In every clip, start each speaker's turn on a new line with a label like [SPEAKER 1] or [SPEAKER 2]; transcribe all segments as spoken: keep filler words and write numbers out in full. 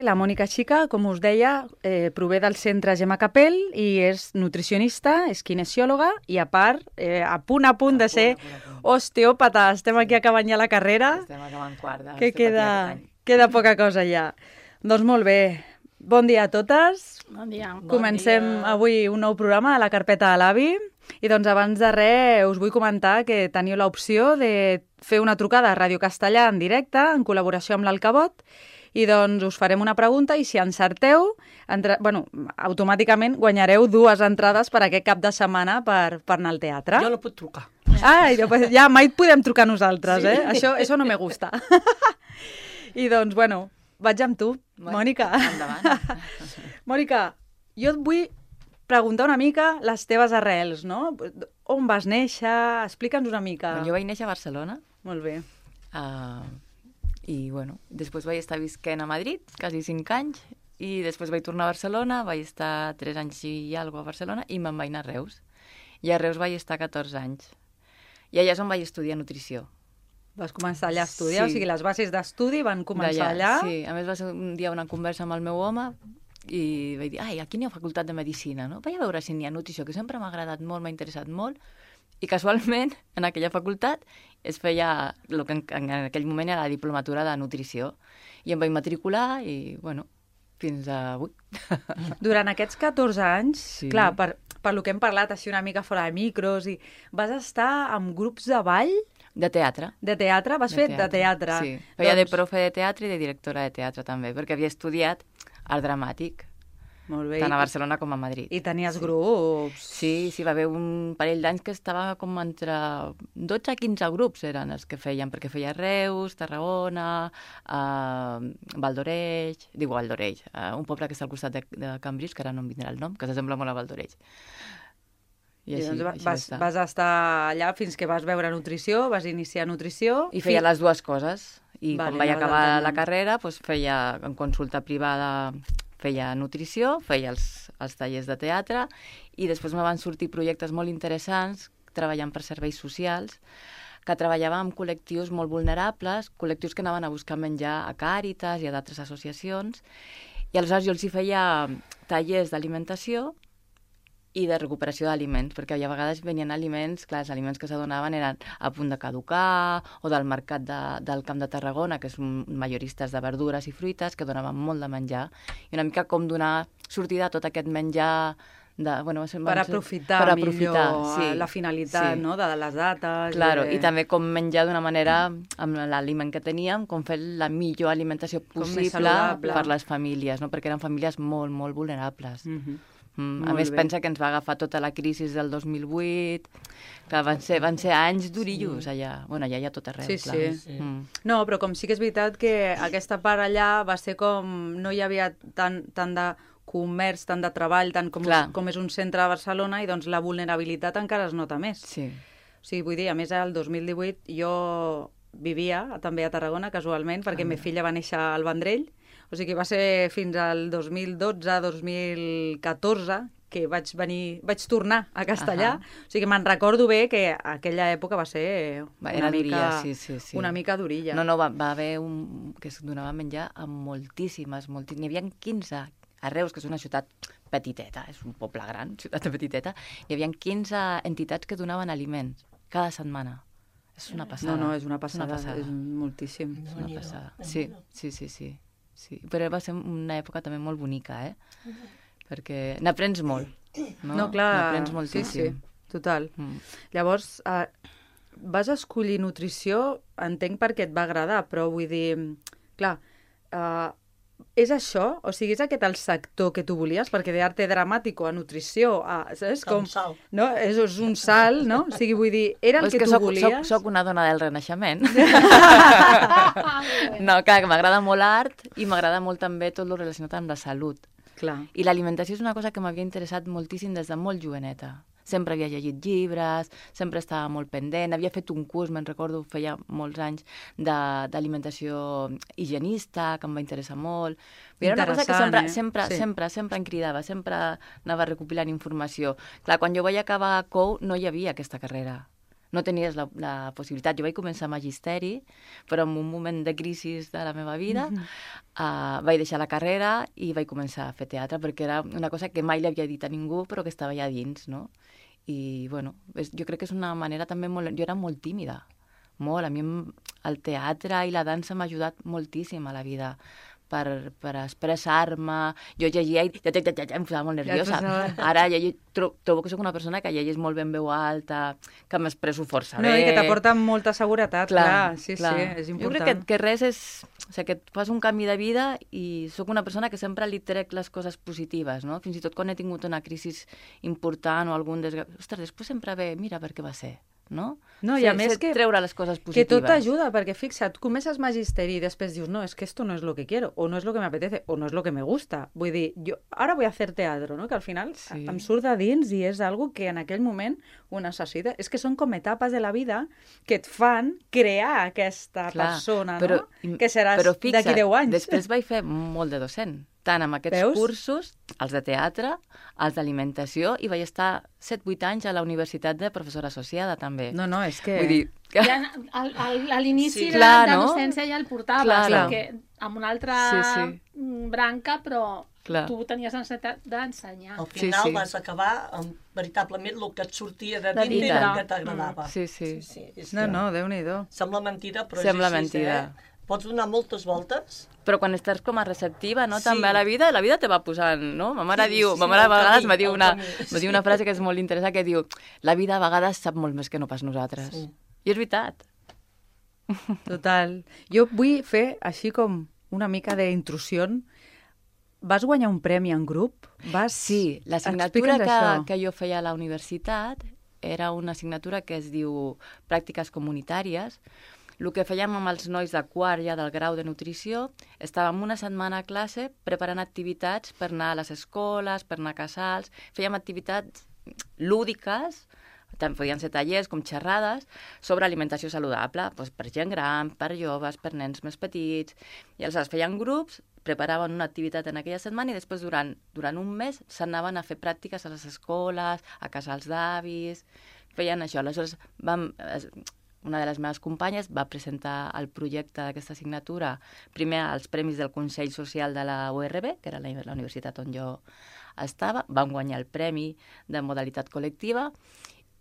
[SPEAKER 1] la Mònica Xica, com us deia, eh, prové del centre Gemma Capell i és nutricionista, és kinesiòloga i a part, eh, a punt a punt de ser osteòpata. Estem aquí acabant ja la carrera.
[SPEAKER 2] Estem acabant quart de
[SPEAKER 1] que queda, queda poca cosa ja. Doncs molt bé. Bon dia a totes.
[SPEAKER 3] Bon dia.
[SPEAKER 1] Comencem
[SPEAKER 3] bon dia.
[SPEAKER 1] avui un nou programa a la carpeta de l'avi. I doncs abans de res us vull comentar que teniu l'opció de fer una trucada a Ràdio Castellà en directe, en col·laboració amb l'Alcabot, i doncs us farem una pregunta i si encerteu, entre... bueno, automàticament guanyareu dues entrades per aquest cap de setmana per, per anar al teatre.
[SPEAKER 3] Jo no puc trucar.
[SPEAKER 1] Ah, pues ja mai podem trucar nosaltres, sí. eh? Això, això no me gusta. I doncs, bueno, vaig amb tu, bueno, Mònica.
[SPEAKER 2] Endavant.
[SPEAKER 1] Mònica, jo et vull preguntar una mica les teves arrels, no? On vas néixer? Explica'ns una mica.
[SPEAKER 2] Jo vaig néixer a Barcelona.
[SPEAKER 1] Molt bé.
[SPEAKER 2] Uh, I, bueno, després vaig estar visquent a Madrid, quasi cinc anys, i després vaig tornar a Barcelona, vaig estar tres anys i alguna a Barcelona, i me'n vaig anar a Reus. I a Reus vaig estar catorze anys. I allà és on vaig estudiar nutrició.
[SPEAKER 1] Vas començar allà a estudiar?
[SPEAKER 2] Sí.
[SPEAKER 1] O sigui, les bases d'estudi van començar allà?
[SPEAKER 2] Sí, a més va ser un dia una conversa amb el meu home, i vaig dir, ai, aquí n'hi ha facultat de Medicina, no? Vaig a veure si n'hi ha nutrició, que sempre m'ha agradat molt, m'ha interessat molt, i casualment, en aquella facultat, es feia el que en, en aquell moment era la diplomatura de nutrició, i em vaig matricular, i, bueno, fins a avui.
[SPEAKER 1] Durant aquests catorze anys,
[SPEAKER 2] Sí.
[SPEAKER 1] clar, per, per lo que hem parlat així una mica fora de micros, i vas estar amb grups de ball,
[SPEAKER 2] De teatre.
[SPEAKER 1] de teatre? Vas fer de teatre?
[SPEAKER 2] Sí, feia
[SPEAKER 1] doncs...
[SPEAKER 2] de profe de teatre i de directora de teatre també, perquè havia estudiat art dramàtic,
[SPEAKER 1] Molt bé.
[SPEAKER 2] tant a Barcelona com a Madrid.
[SPEAKER 1] I tenies
[SPEAKER 2] Sí.
[SPEAKER 1] grups?
[SPEAKER 2] Sí, sí, va haver un parell d'anys que estava com entre dotze a quinze grups eren els que feien, perquè feia Reus, Tarragona, uh, Valdoreix, diu Valdoreix, uh, un poble que està al costat de, de Cambrils, que ara no em vindrà el nom, que s'assembla molt a Valdoreix. I,
[SPEAKER 1] I
[SPEAKER 2] així,
[SPEAKER 1] doncs
[SPEAKER 2] així
[SPEAKER 1] vas,
[SPEAKER 2] està.
[SPEAKER 1] vas estar allà fins que vas veure nutrició, vas iniciar nutrició...
[SPEAKER 2] I feia les dues coses. I
[SPEAKER 1] Vale,
[SPEAKER 2] quan vaig
[SPEAKER 1] anaves
[SPEAKER 2] acabar la
[SPEAKER 1] alternant.
[SPEAKER 2] carrera, doncs feia en consulta privada, feia nutrició, feia els, els tallers de teatre, i després me van sortir projectes molt interessants, treballant per serveis socials, que treballava amb col·lectius molt vulnerables, col·lectius que anaven a buscar menjar a Càritas i a d'altres associacions, i aleshores jo els hi feia tallers d'alimentació i de recuperació d'aliments, perquè a vegades venien aliments, clar, els aliments que s'adonaven eren a punt de caducar, o del mercat de, del Camp de Tarragona, que és un majoristes de verdures i fruites, que donaven molt de menjar, i una mica com donar sortida a tot aquest menjar de, bueno, va ser,
[SPEAKER 1] Per
[SPEAKER 2] va ser-
[SPEAKER 1] aprofitar,
[SPEAKER 2] per aprofitar
[SPEAKER 1] millor
[SPEAKER 2] sí,
[SPEAKER 1] la finalitat,
[SPEAKER 2] sí.
[SPEAKER 1] no?, de les dates...
[SPEAKER 2] Claro,
[SPEAKER 1] de...
[SPEAKER 2] i també com menjar d'una manera, amb l'aliment que teníem, com fer la millor alimentació
[SPEAKER 1] Com més
[SPEAKER 2] possible
[SPEAKER 1] saludable.
[SPEAKER 2] per les famílies, no? Perquè eren famílies molt, molt vulnerables.
[SPEAKER 1] Mhm.
[SPEAKER 2] Mm, a
[SPEAKER 1] Molt
[SPEAKER 2] més,
[SPEAKER 1] bé.
[SPEAKER 2] pensa que ens va agafar tota la crisi del dos mil vuit, que van ser, van ser anys durillos sí. allà. Bueno, allà hi ha tot arreu,
[SPEAKER 1] Sí,
[SPEAKER 2] clar.
[SPEAKER 1] sí.
[SPEAKER 3] Sí.
[SPEAKER 2] Mm.
[SPEAKER 1] No, però com sí que és veritat que aquesta part allà va ser com... No hi havia tant, tant de comerç, tant de treball, tant com,
[SPEAKER 2] Clar.
[SPEAKER 1] com és un centre de Barcelona, i doncs la vulnerabilitat encara es nota més.
[SPEAKER 2] Sí.
[SPEAKER 1] O sigui, vull dir, a més, el dos mil divuit jo vivia també a Tarragona, casualment, perquè
[SPEAKER 2] Ah,
[SPEAKER 1] ma filla va néixer al Vendrell. O sigui, va ser fins al dos mil dotze dos mil catorze que vaig venir, vaig tornar a Castellà.
[SPEAKER 2] Ahà.
[SPEAKER 1] O sigui, me'n recordo bé que aquella època va ser
[SPEAKER 2] Va,
[SPEAKER 1] una
[SPEAKER 2] era
[SPEAKER 1] mica,
[SPEAKER 2] durilla, sí, sí, sí.
[SPEAKER 1] una mica durilla.
[SPEAKER 2] No, no, va, va haver un... que es donava menjar a moltíssimes, moltíssimes. N'hi havia quinze a Reus, que és una ciutat petiteta, és un poble gran, ciutat petiteta, hi havia quinze entitats que donaven aliments cada setmana. És una passada.
[SPEAKER 1] No, no, és una passada,
[SPEAKER 2] Una passada.
[SPEAKER 1] és moltíssim.
[SPEAKER 2] És una passada. Sí, sí, sí, sí, sí. Però va ser una època també molt bonica, eh? Perquè n'aprens molt. No,
[SPEAKER 1] No, clar,
[SPEAKER 2] n'aprens
[SPEAKER 1] sí,
[SPEAKER 2] moltíssim.
[SPEAKER 1] sí, total.
[SPEAKER 2] Mm.
[SPEAKER 1] Llavors, eh, vas escollir nutrició, entenc perquè et va agradar, però vull dir, clar, eh, és això? O sigui, és aquest el sector que tu volies? Perquè d'arte dramàtico a nutrició, a, saps? Com,
[SPEAKER 3] Un salt.
[SPEAKER 1] no? És, és un salt, no? O sigui, vull dir, era el
[SPEAKER 2] És
[SPEAKER 1] que,
[SPEAKER 2] que
[SPEAKER 1] tu
[SPEAKER 2] soc,
[SPEAKER 1] volies?
[SPEAKER 2] soc, soc una dona del Renaixement. No, clar, que m'agrada molt l'art i m'agrada molt també tot el relacionat amb la salut.
[SPEAKER 1] Clar.
[SPEAKER 2] I l'alimentació és una cosa que m'havia interessat moltíssim des de molt joveneta. Sempre havia llegit llibres, sempre estava molt pendent, havia fet un curs, me'n recordo, feia molts anys, de- d'alimentació higienista, que em va interessar molt. Però era una cosa que
[SPEAKER 1] Interessant,
[SPEAKER 2] sempre,
[SPEAKER 1] eh?
[SPEAKER 2] sempre,
[SPEAKER 1] Sí.
[SPEAKER 2] sempre, sempre em cridava, sempre anava recopilant informació. Clar, quan jo vaig acabar a C O U no hi havia aquesta carrera. No tenies la, la possibilitat. Jo vaig començar magisteri, però en un moment de crisi de la meva vida mm-hmm. uh, vaig deixar la carrera i vaig començar a fer teatre, perquè era una cosa que mai li havia dit a ningú, però que estava allà dins, no? I, bueno, és, jo crec que és una manera també molt... Jo era molt tímida, molt. A mi el teatre i la dansa m'ha ajudat moltíssim a la vida, per, per expressar-me. Jo llegia i ja, ja, ja, ja, em posava molt nerviosa. Ja Ara llegir, tro, trobo que soc una persona que llegeix molt bé en veu alta, que m'expresso força bé.
[SPEAKER 1] No, i que t'aporta molta seguretat, clar, clar sí, clar. sí, és important.
[SPEAKER 2] Jo crec que, que res és... O sigui, que et fas un canvi de vida i sóc una persona que sempre li trec les coses positives, no? Fins i tot quan he tingut una crisi important o algun desgrat... Ostres, després sempre ve, mira per què va ser, no?
[SPEAKER 1] No, i a més que,
[SPEAKER 2] treure les coses positives.
[SPEAKER 1] Que tot t'ajuda, perquè fixa't, comences magisteri i després dius, no, es que esto no es lo que quiero, o no es lo que me apetece, o no es lo que me gusta. Vull dir, jo ara voy a hacer teatro, no? Que al final sí. em surt de dins i és algo que en aquell moment ho necessita. És que són com etapes de la vida que et fan crear aquesta Clar, persona, però, no? Que seràs d'aquí deu anys.
[SPEAKER 2] Després vaig fer molt de docent, tant amb aquests Veus? cursos, els de teatre, els d'alimentació, i vaig estar set vuit anys a la universitat de professora associada, també.
[SPEAKER 1] No, no, és que...
[SPEAKER 2] Vull dir... Que...
[SPEAKER 3] Ja, al, al, a l'inici sí. de,
[SPEAKER 2] Clar,
[SPEAKER 3] de
[SPEAKER 2] no?
[SPEAKER 3] docència ja el portaves,
[SPEAKER 2] Clar,
[SPEAKER 3] perquè amb una altra
[SPEAKER 2] sí, sí.
[SPEAKER 3] branca, però
[SPEAKER 2] Clar.
[SPEAKER 3] tu tenies necessitat d'ensenyar.
[SPEAKER 4] Al final
[SPEAKER 2] sí, sí.
[SPEAKER 4] vas acabar amb veritablement el que et sortia de,
[SPEAKER 3] de
[SPEAKER 4] dintre i el que t'agradava.
[SPEAKER 2] Sí, sí.
[SPEAKER 4] sí, sí és
[SPEAKER 1] no, no, Déu-n'hi-do.
[SPEAKER 4] Sembla mentida, però
[SPEAKER 2] Sembla
[SPEAKER 4] és així,
[SPEAKER 2] mentida.
[SPEAKER 4] eh? Pots donar moltes voltes.
[SPEAKER 2] Però quan estàs com a receptiva, no?
[SPEAKER 4] Sí.
[SPEAKER 2] També a la vida, la vida te va posant, no? Ma mare
[SPEAKER 4] Sí,
[SPEAKER 2] diu,
[SPEAKER 4] sí,
[SPEAKER 2] ma mare a vegades
[SPEAKER 4] camí,
[SPEAKER 2] me diu, una,
[SPEAKER 4] camí.
[SPEAKER 2] me diu una frase que és molt interessant, que diu, la vida a vegades sap molt més que no pas nosaltres.
[SPEAKER 4] Sí.
[SPEAKER 2] I és veritat.
[SPEAKER 1] Total. Jo vull fer així com una mica d'intrusió. Vas guanyar un premi en grup? Vas...
[SPEAKER 2] Sí, l'assignatura que, que jo feia a la universitat era una assignatura que es diu Pràctiques Comunitàries. El que fèiem amb els nois de quart ja del grau de nutrició, estàvem una setmana a classe preparant activitats per anar a les escoles, per anar a casals, fèiem activitats lúdiques, també podien ser tallers com xerrades, sobre alimentació saludable, doncs per gent gran, per joves, per nens més petits, i aleshores feien grups, preparaven una activitat en aquella setmana i després durant, durant un mes s'anaven a fer pràctiques a les escoles, a casals d'avis, feien això. Aleshores vam... Una de les meves companyes va presentar el projecte d'aquesta assignatura primer als Premis del Consell Social de la U R B, que era la, la universitat on jo estava, vam guanyar el premi de modalitat col·lectiva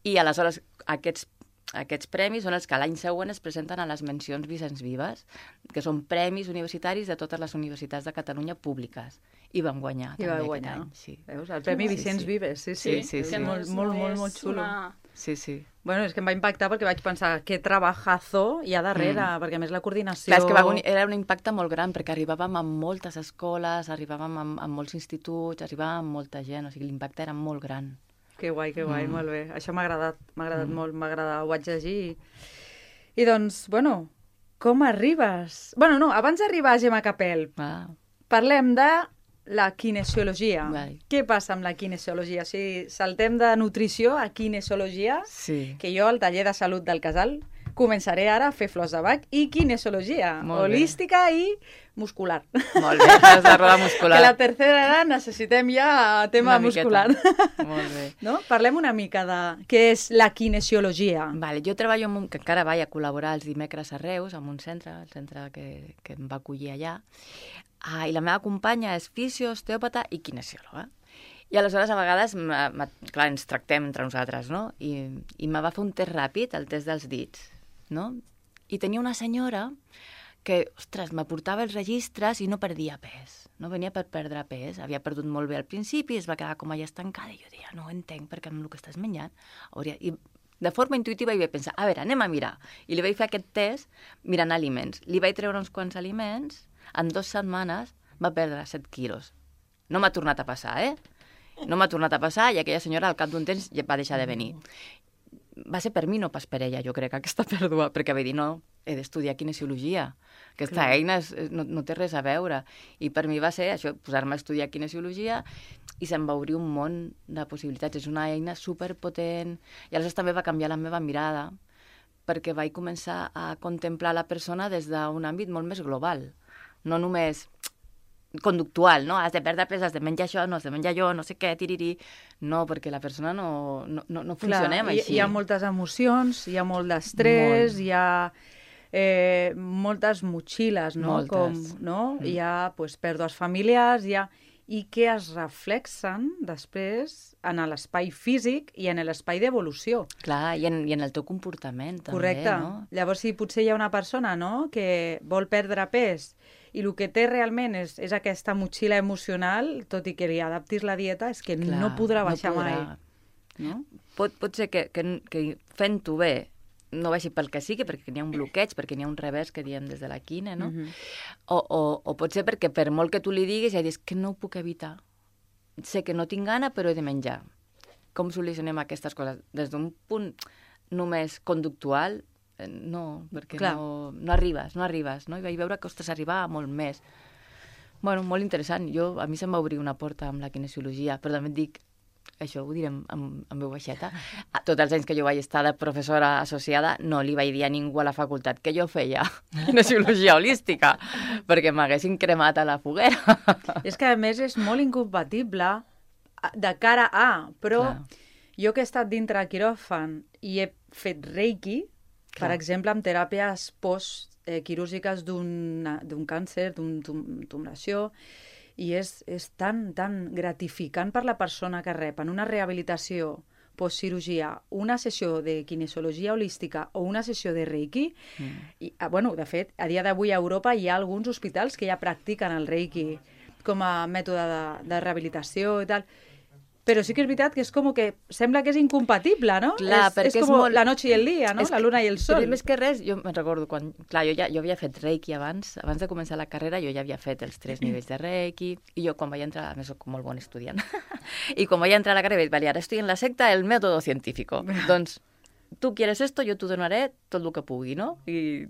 [SPEAKER 2] i aleshores aquests, aquests premis són els que l'any següent es presenten a les mencions Vicenç Vives, que són premis universitaris de totes les universitats de Catalunya públiques. I vam guanyar
[SPEAKER 1] I
[SPEAKER 2] també
[SPEAKER 1] guanyar.
[SPEAKER 2] aquest any. Sí.
[SPEAKER 1] Veus? El Premi
[SPEAKER 2] sí,
[SPEAKER 1] Vicenç
[SPEAKER 2] sí.
[SPEAKER 1] Vives, sí, sí.
[SPEAKER 2] Sí, sí, sí.
[SPEAKER 1] Molt, molt, molt, molt xulo.
[SPEAKER 3] Una...
[SPEAKER 2] Sí, sí.
[SPEAKER 1] Bueno, és que em va impactar perquè vaig pensar que trabajazo hi ha darrere, mm. perquè a més la coordinació...
[SPEAKER 2] Clar, és que va, era un impacte molt gran, perquè arribàvem a moltes escoles, arribàvem a, a molts instituts, arribàvem a molta gent, o sigui, l'impacte era molt gran.
[SPEAKER 1] Que guai, que guai, mm. molt bé. Això m'ha agradat, m'ha agradat mm. molt, m'ha agradat, ho vaig llegir. I, I doncs, bueno, com arribes? Bueno, no, abans d'arribar a Gemma Capel,
[SPEAKER 2] Ah.
[SPEAKER 1] parlem de la kinesiologia.
[SPEAKER 2] Vale.
[SPEAKER 1] Què passa amb la kinesiologia? O sigui, saltem de nutrició a kinesiologia,
[SPEAKER 2] Sí.
[SPEAKER 1] que jo al taller de salut del Casal començaré ara a fer flors de bac i kinesiologia,
[SPEAKER 2] Molt bé.
[SPEAKER 1] holística i muscular.
[SPEAKER 2] Molt bé, has de roda muscular.
[SPEAKER 1] Que la tercera edat necessitem ja tema
[SPEAKER 2] Una
[SPEAKER 1] muscular.
[SPEAKER 2] miqueta. Molt bé.
[SPEAKER 1] No? Parlem una mica de què és la kinesiologia.
[SPEAKER 2] Vale, jo treballo amb un, que encara vaig a col·laborar els dimecres a Reus, amb un centre, el centre que, que em va acollir allà, ah, i la meva companya és fisio, osteòpata i kinesiòloga. I aleshores, a vegades, ma, ma, clar, ens tractem entre nosaltres, no? I, i me va fer un test ràpid, el test dels dits, no? I tenia una senyora que, ostres, m'aportava els registres i no perdia pes. No venia per perdre pes. Havia perdut molt bé al principi, es va quedar com allà estancada, i jo deia, no ho entenc, perquè amb el que estàs menjant hauria... I de forma intuïtiva hi vaig pensar, a veure, anem a mirar. I li vaig fer aquest test mirant aliments. Li vaig treure uns quants aliments, en dues setmanes va perdre set quilos. No m'ha tornat a passar, eh? No m'ha tornat a passar i aquella senyora al cap d'un temps ja va deixar de venir. Va ser per mi, no pas per ella, jo crec, aquesta pèrdua, perquè vaig dir, no, he d'estudiar kinesiologia. Aquesta
[SPEAKER 1] Clar.
[SPEAKER 2] eina és, no, no té res a veure. I per mi va ser això, posar-me a estudiar kinesiologia i se'm va obrir un món de possibilitats. És una eina superpotent. I aleshores també va canviar la meva mirada, perquè vaig començar a contemplar la persona des d'un àmbit molt més global. No només conductual, no? Has de perdre pes, has de menjar això, no has de menjar allò, no sé què, tirirí... No, perquè la persona no, no, no, no funcionem
[SPEAKER 1] Clar, hi,
[SPEAKER 2] així.
[SPEAKER 1] hi ha moltes emocions, hi ha molt d'estrès,
[SPEAKER 2] Molt.
[SPEAKER 1] hi ha eh, moltes motxilles, no?
[SPEAKER 2] Moltes.
[SPEAKER 1] Com, no?
[SPEAKER 2] Mm.
[SPEAKER 1] Hi ha pues, pèrdues familiars, hi ha... i que es reflexen després en l'espai físic i en l'espai d'evolució.
[SPEAKER 2] Clar, i en, i en el teu comportament, també,
[SPEAKER 1] Correcte.
[SPEAKER 2] no?
[SPEAKER 1] Llavors, si potser hi ha una persona, no?, que vol perdre pes i el que té realment és, és aquesta motxilla emocional, tot i que li adaptis la dieta, és que
[SPEAKER 2] Clar,
[SPEAKER 1] no podrà baixar
[SPEAKER 2] podrà.
[SPEAKER 1] mai. No?
[SPEAKER 2] Pot, pot ser que, que, que fent-ho bé no baixi pel que sigui, perquè n'hi ha un bloqueig, perquè n'hi ha un revés que diem des de la quine, no?
[SPEAKER 1] Mhm.
[SPEAKER 2] o, o, o pot ser perquè per molt que tu li diguis, ja dius que no ho puc evitar. Sé que no tinc gana, però he de menjar. Com solucionem aquestes coses? Des d'un punt només conductual, eh, no, perquè
[SPEAKER 1] Clar.
[SPEAKER 2] no, no arribes, no arribes, no? I vaig veure que, ostres, arribava molt més. Bueno, molt interessant. Jo, a mi se'm va obrir una porta amb la kinesiologia, però també et dic, això ho direm amb, amb veu baixeta, a tots els anys que jo vaig estar de professora associada no li vaig dir a ningú a la facultat que jo feia kinesiologia holística, perquè m'haguessin cremat a la foguera.
[SPEAKER 1] És que, a més, és molt incompatible de cara a, però
[SPEAKER 2] Clar.
[SPEAKER 1] jo que he estat dintre del quiròfan i he fet reiki, per
[SPEAKER 2] Clar.
[SPEAKER 1] exemple, amb teràpies post-quirúrgiques d'un càncer, d'una tumoració, i és, és tan, tan gratificant per la persona que rep en una rehabilitació postcirurgia, una sessió de kinesiologia holística o una sessió de reiki. Mm. I, ah, bueno, de fet, a dia d'avui a Europa hi ha alguns hospitals que ja practiquen el reiki com a mètode de, de rehabilitació i tal. Però sí que és veritat que és com que sembla que és incompatible, no?
[SPEAKER 2] Clar,
[SPEAKER 1] és,
[SPEAKER 2] perquè
[SPEAKER 1] és
[SPEAKER 2] és
[SPEAKER 1] com
[SPEAKER 2] molt-
[SPEAKER 1] la noche i el dia, no?
[SPEAKER 2] És
[SPEAKER 1] La
[SPEAKER 2] que-
[SPEAKER 1] luna i el sol.
[SPEAKER 2] Però més que res, jo me'n recordo quan... Clar, jo ja jo havia fet reiki abans, abans de començar la carrera jo ja havia fet els tres nivells de reiki, i jo quan vaig entrar, a més soc molt bon estudiant, i quan vaig entrar a la carrera vaig dir, vale, ara estoy en la secta el método científico. Doncs, tu quieres esto, jo t'ho donaré tot el que pugui, no? I...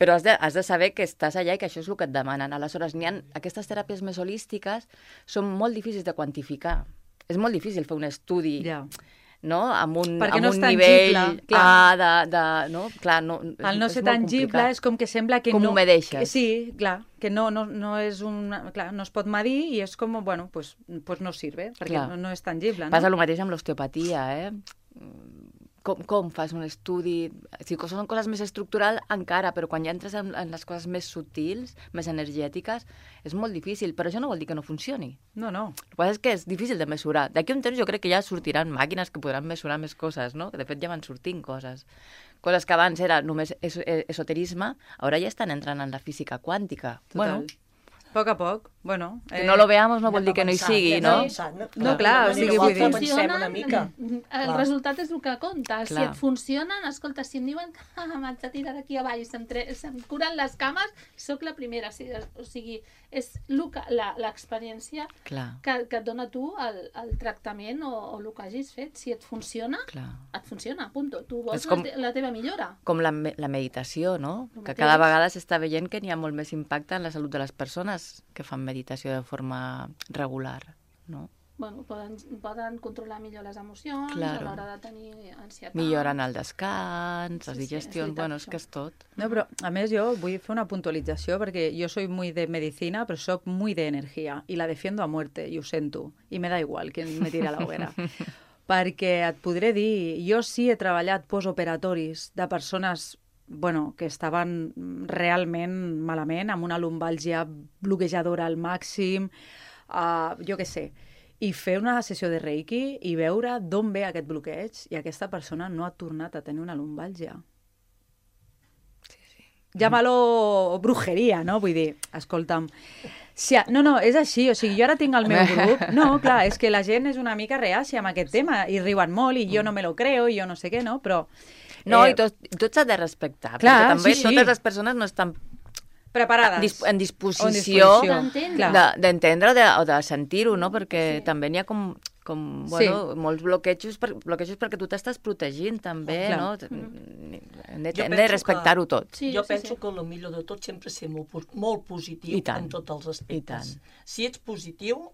[SPEAKER 2] Però has de, has de saber que estàs allà i que això és el que et demanen. Aleshores, n'hi ha, aquestes teràpies més holístiques són molt difícils de quantificar. És molt difícil fer un estudi,
[SPEAKER 1] Ja.
[SPEAKER 2] no? Amb un,
[SPEAKER 1] Perquè
[SPEAKER 2] amb
[SPEAKER 1] no és
[SPEAKER 2] un
[SPEAKER 1] tangible,
[SPEAKER 2] nivell
[SPEAKER 1] clar.
[SPEAKER 2] A de, de... No? Clar, no,
[SPEAKER 1] El no
[SPEAKER 2] és
[SPEAKER 1] ser
[SPEAKER 2] molt
[SPEAKER 1] tangible
[SPEAKER 2] complicat.
[SPEAKER 1] és com que sembla que
[SPEAKER 2] Com
[SPEAKER 1] no...
[SPEAKER 2] ho medeixes.
[SPEAKER 1] Que, sí, clar, que no, no, no és un... Clar, no es pot medir i és com, bueno, pues, pues no sirve, perquè
[SPEAKER 2] Clar.
[SPEAKER 1] no, no és tangible, no?
[SPEAKER 2] Passa el mateix amb l'osteopatia, eh? Com, com fas un estudi... Si són coses més estructurals, encara, però quan ja entres en, en les coses més sutils, més energètiques, és molt difícil. Però això no vol dir que no funcioni.
[SPEAKER 1] No, no.
[SPEAKER 2] El que passa és que és difícil de mesurar. D'aquí a un temps jo crec que ja sortiran màquines que podran mesurar més coses, no? Que de fet ja van sortint coses. Coses que abans era només es esoterisme, ara ja estan entrant en la física quàntica.
[SPEAKER 1] Total.
[SPEAKER 2] Bueno,
[SPEAKER 1] A poc a poc, bueno...
[SPEAKER 2] que no lo veamos no vol dir que no hi sigui, no?
[SPEAKER 1] No, clar, o sigui, vull dir-
[SPEAKER 4] Pensem una mica.
[SPEAKER 3] el
[SPEAKER 4] Clar.
[SPEAKER 3] resultat és el que compta. Si
[SPEAKER 2] Clar.
[SPEAKER 3] et funcionen, escolta, si em diuen que ah, m'haig de tirar d'aquí a baix, se'm, tre... se'm curen les cames, sóc la primera. O sigui, o sigui és lo que- la- l'experiència
[SPEAKER 2] Clar,
[SPEAKER 3] que, que et dona tu el, el tractament o, o el que hagis fet. Si et funciona,
[SPEAKER 2] clar.
[SPEAKER 3] et funciona, punto. Tu vols
[SPEAKER 2] És com-
[SPEAKER 3] la, te la teva millora.
[SPEAKER 2] Com la, me- la meditació, no?
[SPEAKER 3] El
[SPEAKER 2] Que
[SPEAKER 3] mateix.
[SPEAKER 2] cada vegada s'està veient que n'hi ha molt més impacte en la salut de les persones que fan meditació de forma regular, no?
[SPEAKER 3] Bueno, poden, poden controlar millor les emocions
[SPEAKER 2] Claro.
[SPEAKER 3] a l'hora de tenir ansietat.
[SPEAKER 2] Milloren el descans, les
[SPEAKER 3] Sí, sí, és
[SPEAKER 2] digestions,
[SPEAKER 3] veritat,
[SPEAKER 2] bueno, és
[SPEAKER 3] això.
[SPEAKER 2] que és tot.
[SPEAKER 1] No, però a més jo vull fer una puntualització perquè jo soy muy de medicina, però soc muy de energia i la defiendo a muerte, i ho sento, i me da igual que me tiri a la hoguera. Perquè et podré dir, jo sí he treballat postoperatoris de persones bueno, que estaven realment malament, amb una lumbàlgia bloquejadora al màxim, uh, jo què sé, i fer una sessió de reiki i veure d'on ve aquest bloqueig i aquesta persona no ha tornat a tenir una lumbàlgia. Llámalo brujeria, no? Vull dir, escolta'm, si, no, no, és així, o sigui, jo ara tinc el meu grup, no, clar, és que la gent és una mica reàcia amb aquest tema, i riuen molt, i jo no me lo creo, i jo no sé què, no? Però...
[SPEAKER 2] No,
[SPEAKER 1] eh,
[SPEAKER 2] i tot, tot s'ha de respectar,
[SPEAKER 1] clar,
[SPEAKER 2] perquè també
[SPEAKER 1] sí, sí.
[SPEAKER 2] totes les persones no estan
[SPEAKER 1] preparades.
[SPEAKER 2] dis en disposició,
[SPEAKER 1] O en disposició.
[SPEAKER 3] D'entendre.
[SPEAKER 1] Clar.
[SPEAKER 2] de- d'entendre o de, o de sentir-ho, no? Perquè
[SPEAKER 3] Sí.
[SPEAKER 2] també n'hi ha com, com bueno, molts bloquejos, per, bloquejos perquè tu t'estàs protegint també,
[SPEAKER 1] Clar.
[SPEAKER 2] no? Hem de,
[SPEAKER 4] Jo
[SPEAKER 2] hem de
[SPEAKER 4] penso
[SPEAKER 2] respectar-ho tot.
[SPEAKER 3] Sí,
[SPEAKER 4] jo
[SPEAKER 3] sí,
[SPEAKER 4] penso
[SPEAKER 3] sí.
[SPEAKER 4] que el millor de tot sempre ser molt, po- molt positiu
[SPEAKER 2] I tant.
[SPEAKER 4] en tots els aspectes.
[SPEAKER 2] I tant.
[SPEAKER 4] Si ets positiu,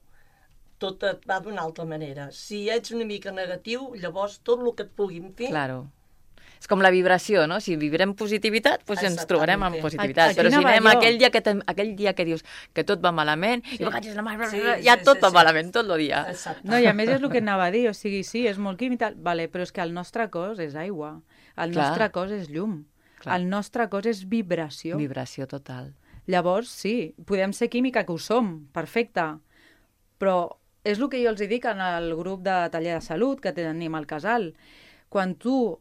[SPEAKER 4] tot et va d'una altra manera. Si ets una mica negatiu, llavors tot el que et puguin fer...
[SPEAKER 2] Claro. És com la vibració, no? Si vibrem positivitat, doncs ens
[SPEAKER 4] Exactament.
[SPEAKER 2] trobarem amb positivitat.
[SPEAKER 1] Aquí
[SPEAKER 2] Però si
[SPEAKER 1] anava
[SPEAKER 2] anem
[SPEAKER 1] jo.
[SPEAKER 2] aquell dia, que te, aquell dia que dius que tot va malament, sí. i vagages la mà,
[SPEAKER 4] Sí,
[SPEAKER 2] ja
[SPEAKER 4] sí,
[SPEAKER 2] tot
[SPEAKER 4] sí,
[SPEAKER 2] va
[SPEAKER 4] sí.
[SPEAKER 2] malament, tot el dia.
[SPEAKER 4] Exacte.
[SPEAKER 1] No, i a més és el que anava a dir, o sigui, sí, és molt químic, tal, vale, però és que el nostre cos és aigua, el
[SPEAKER 2] Clar.
[SPEAKER 1] nostre cos és llum,
[SPEAKER 2] Clar.
[SPEAKER 1] el nostre cos és vibració.
[SPEAKER 2] Vibració total.
[SPEAKER 1] Llavors, sí, podem ser química, que ho som, perfecte, però és el que jo els hi dic en el grup de taller de salut que tenim al casal. Quan tu,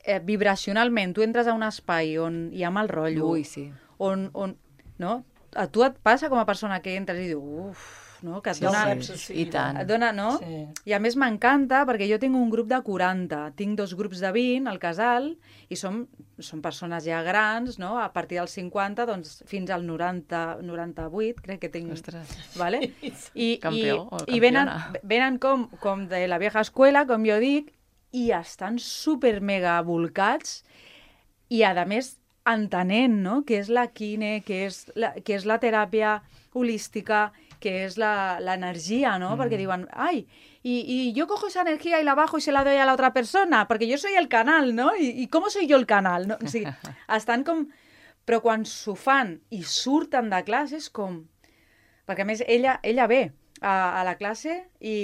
[SPEAKER 1] eh, vibracionalment, tu entres a un espai on hi ha mal rotllo,
[SPEAKER 2] Ui, sí.
[SPEAKER 1] on, on, no? A tu et passa com a persona que entres i dius, uf, no? Que et
[SPEAKER 4] Sí,
[SPEAKER 1] dona...
[SPEAKER 4] sí, sí, sí,
[SPEAKER 2] i tant.
[SPEAKER 1] Et dona, no?
[SPEAKER 4] Sí.
[SPEAKER 1] I a més m'encanta perquè jo tinc un grup de quaranta, tinc dos grups de vint al casal i som, som persones ja grans, no? A partir dels cinquanta doncs, fins al noranta, noranta-vuit, crec que tinc...
[SPEAKER 2] Ostres.
[SPEAKER 1] Vale? I,
[SPEAKER 2] Campió o
[SPEAKER 1] i, i venen,
[SPEAKER 2] campiona.
[SPEAKER 1] venen com, com de la vieja escuela, com jo dic, i estan super mega volcats i a més entenent, no? Què és la quine, què és la, què és la teràpia holística, que és l'energia, ¿no? Mm. Perquè diuen, ai, y, y yo cojo esa energía y la bajo y se la doy a la otra persona, perquè jo soy el canal, ¿no? I, i com soy jo el canal? No? O sigui, estan com... Però quan s'ho fan i surten de classe és com... Perquè a més ella, ella ve a, a la classe i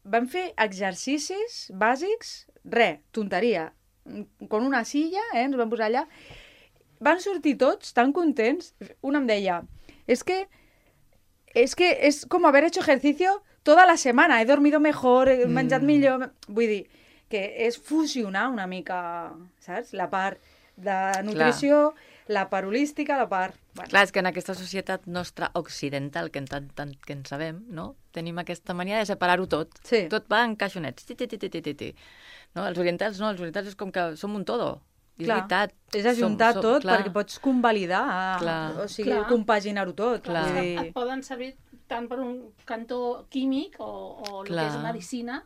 [SPEAKER 1] vam fer exercicis bàsics, re, tonteria, con una silla, eh, ens vam posar allà. Van sortir tots tan contents. Un em deia, es que es que es como haber hecho ejercicio toda la semana, he dormido mejor, he menjat
[SPEAKER 2] Mm.
[SPEAKER 1] millor... Vull dir, que és fusionar una mica, saps? La part de nutrició, la part holística, la part... Bueno.
[SPEAKER 2] Clar, és que en aquesta societat nostra occidental, que en tant, tant que en sabem, no? Tenim aquesta mania de separar-ho tot.
[SPEAKER 1] Sí.
[SPEAKER 2] Tot va en caixonets. Ti, ti, ti, ti, ti, ti, ti. No? Els orientals no, els orientals és com que som un todo. I és
[SPEAKER 1] Clar,
[SPEAKER 2] veritat.
[SPEAKER 1] és ajuntar
[SPEAKER 2] Som- som-
[SPEAKER 1] tot
[SPEAKER 2] clar.
[SPEAKER 1] perquè pots convalidar,
[SPEAKER 2] Clar.
[SPEAKER 1] o sigui,
[SPEAKER 3] Clar.
[SPEAKER 1] compaginar-ho tot.
[SPEAKER 2] Clar.
[SPEAKER 1] Vull
[SPEAKER 3] Et
[SPEAKER 1] dir,
[SPEAKER 3] poden servir tant per un cantó químic o, o el
[SPEAKER 2] Clar.
[SPEAKER 3] que és medicina,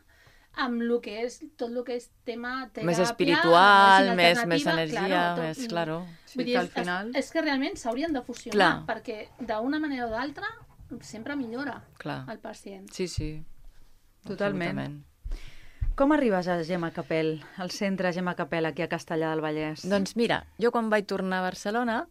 [SPEAKER 3] amb el que és tot el que és tema teràpia,
[SPEAKER 2] Més espiritual,
[SPEAKER 3] medicina
[SPEAKER 2] més, més
[SPEAKER 3] alternativa,
[SPEAKER 2] energia,
[SPEAKER 3] claro, tot-
[SPEAKER 2] més, claro.
[SPEAKER 1] Sí,
[SPEAKER 3] Vull dir,
[SPEAKER 1] que al
[SPEAKER 3] és,
[SPEAKER 1] final-
[SPEAKER 3] és, és que realment s'haurien de fusionar,
[SPEAKER 2] Clar.
[SPEAKER 3] perquè d'una manera o d'altra sempre millora
[SPEAKER 2] Clar.
[SPEAKER 3] el pacient.
[SPEAKER 2] Sí, sí.
[SPEAKER 1] Totalment.
[SPEAKER 2] Absolutament.
[SPEAKER 1] com arribes a Gemma Capel, al centre Gemma Capel, aquí a Castellà del Vallès?
[SPEAKER 2] Doncs mira, jo quan vaig tornar a Barcelona,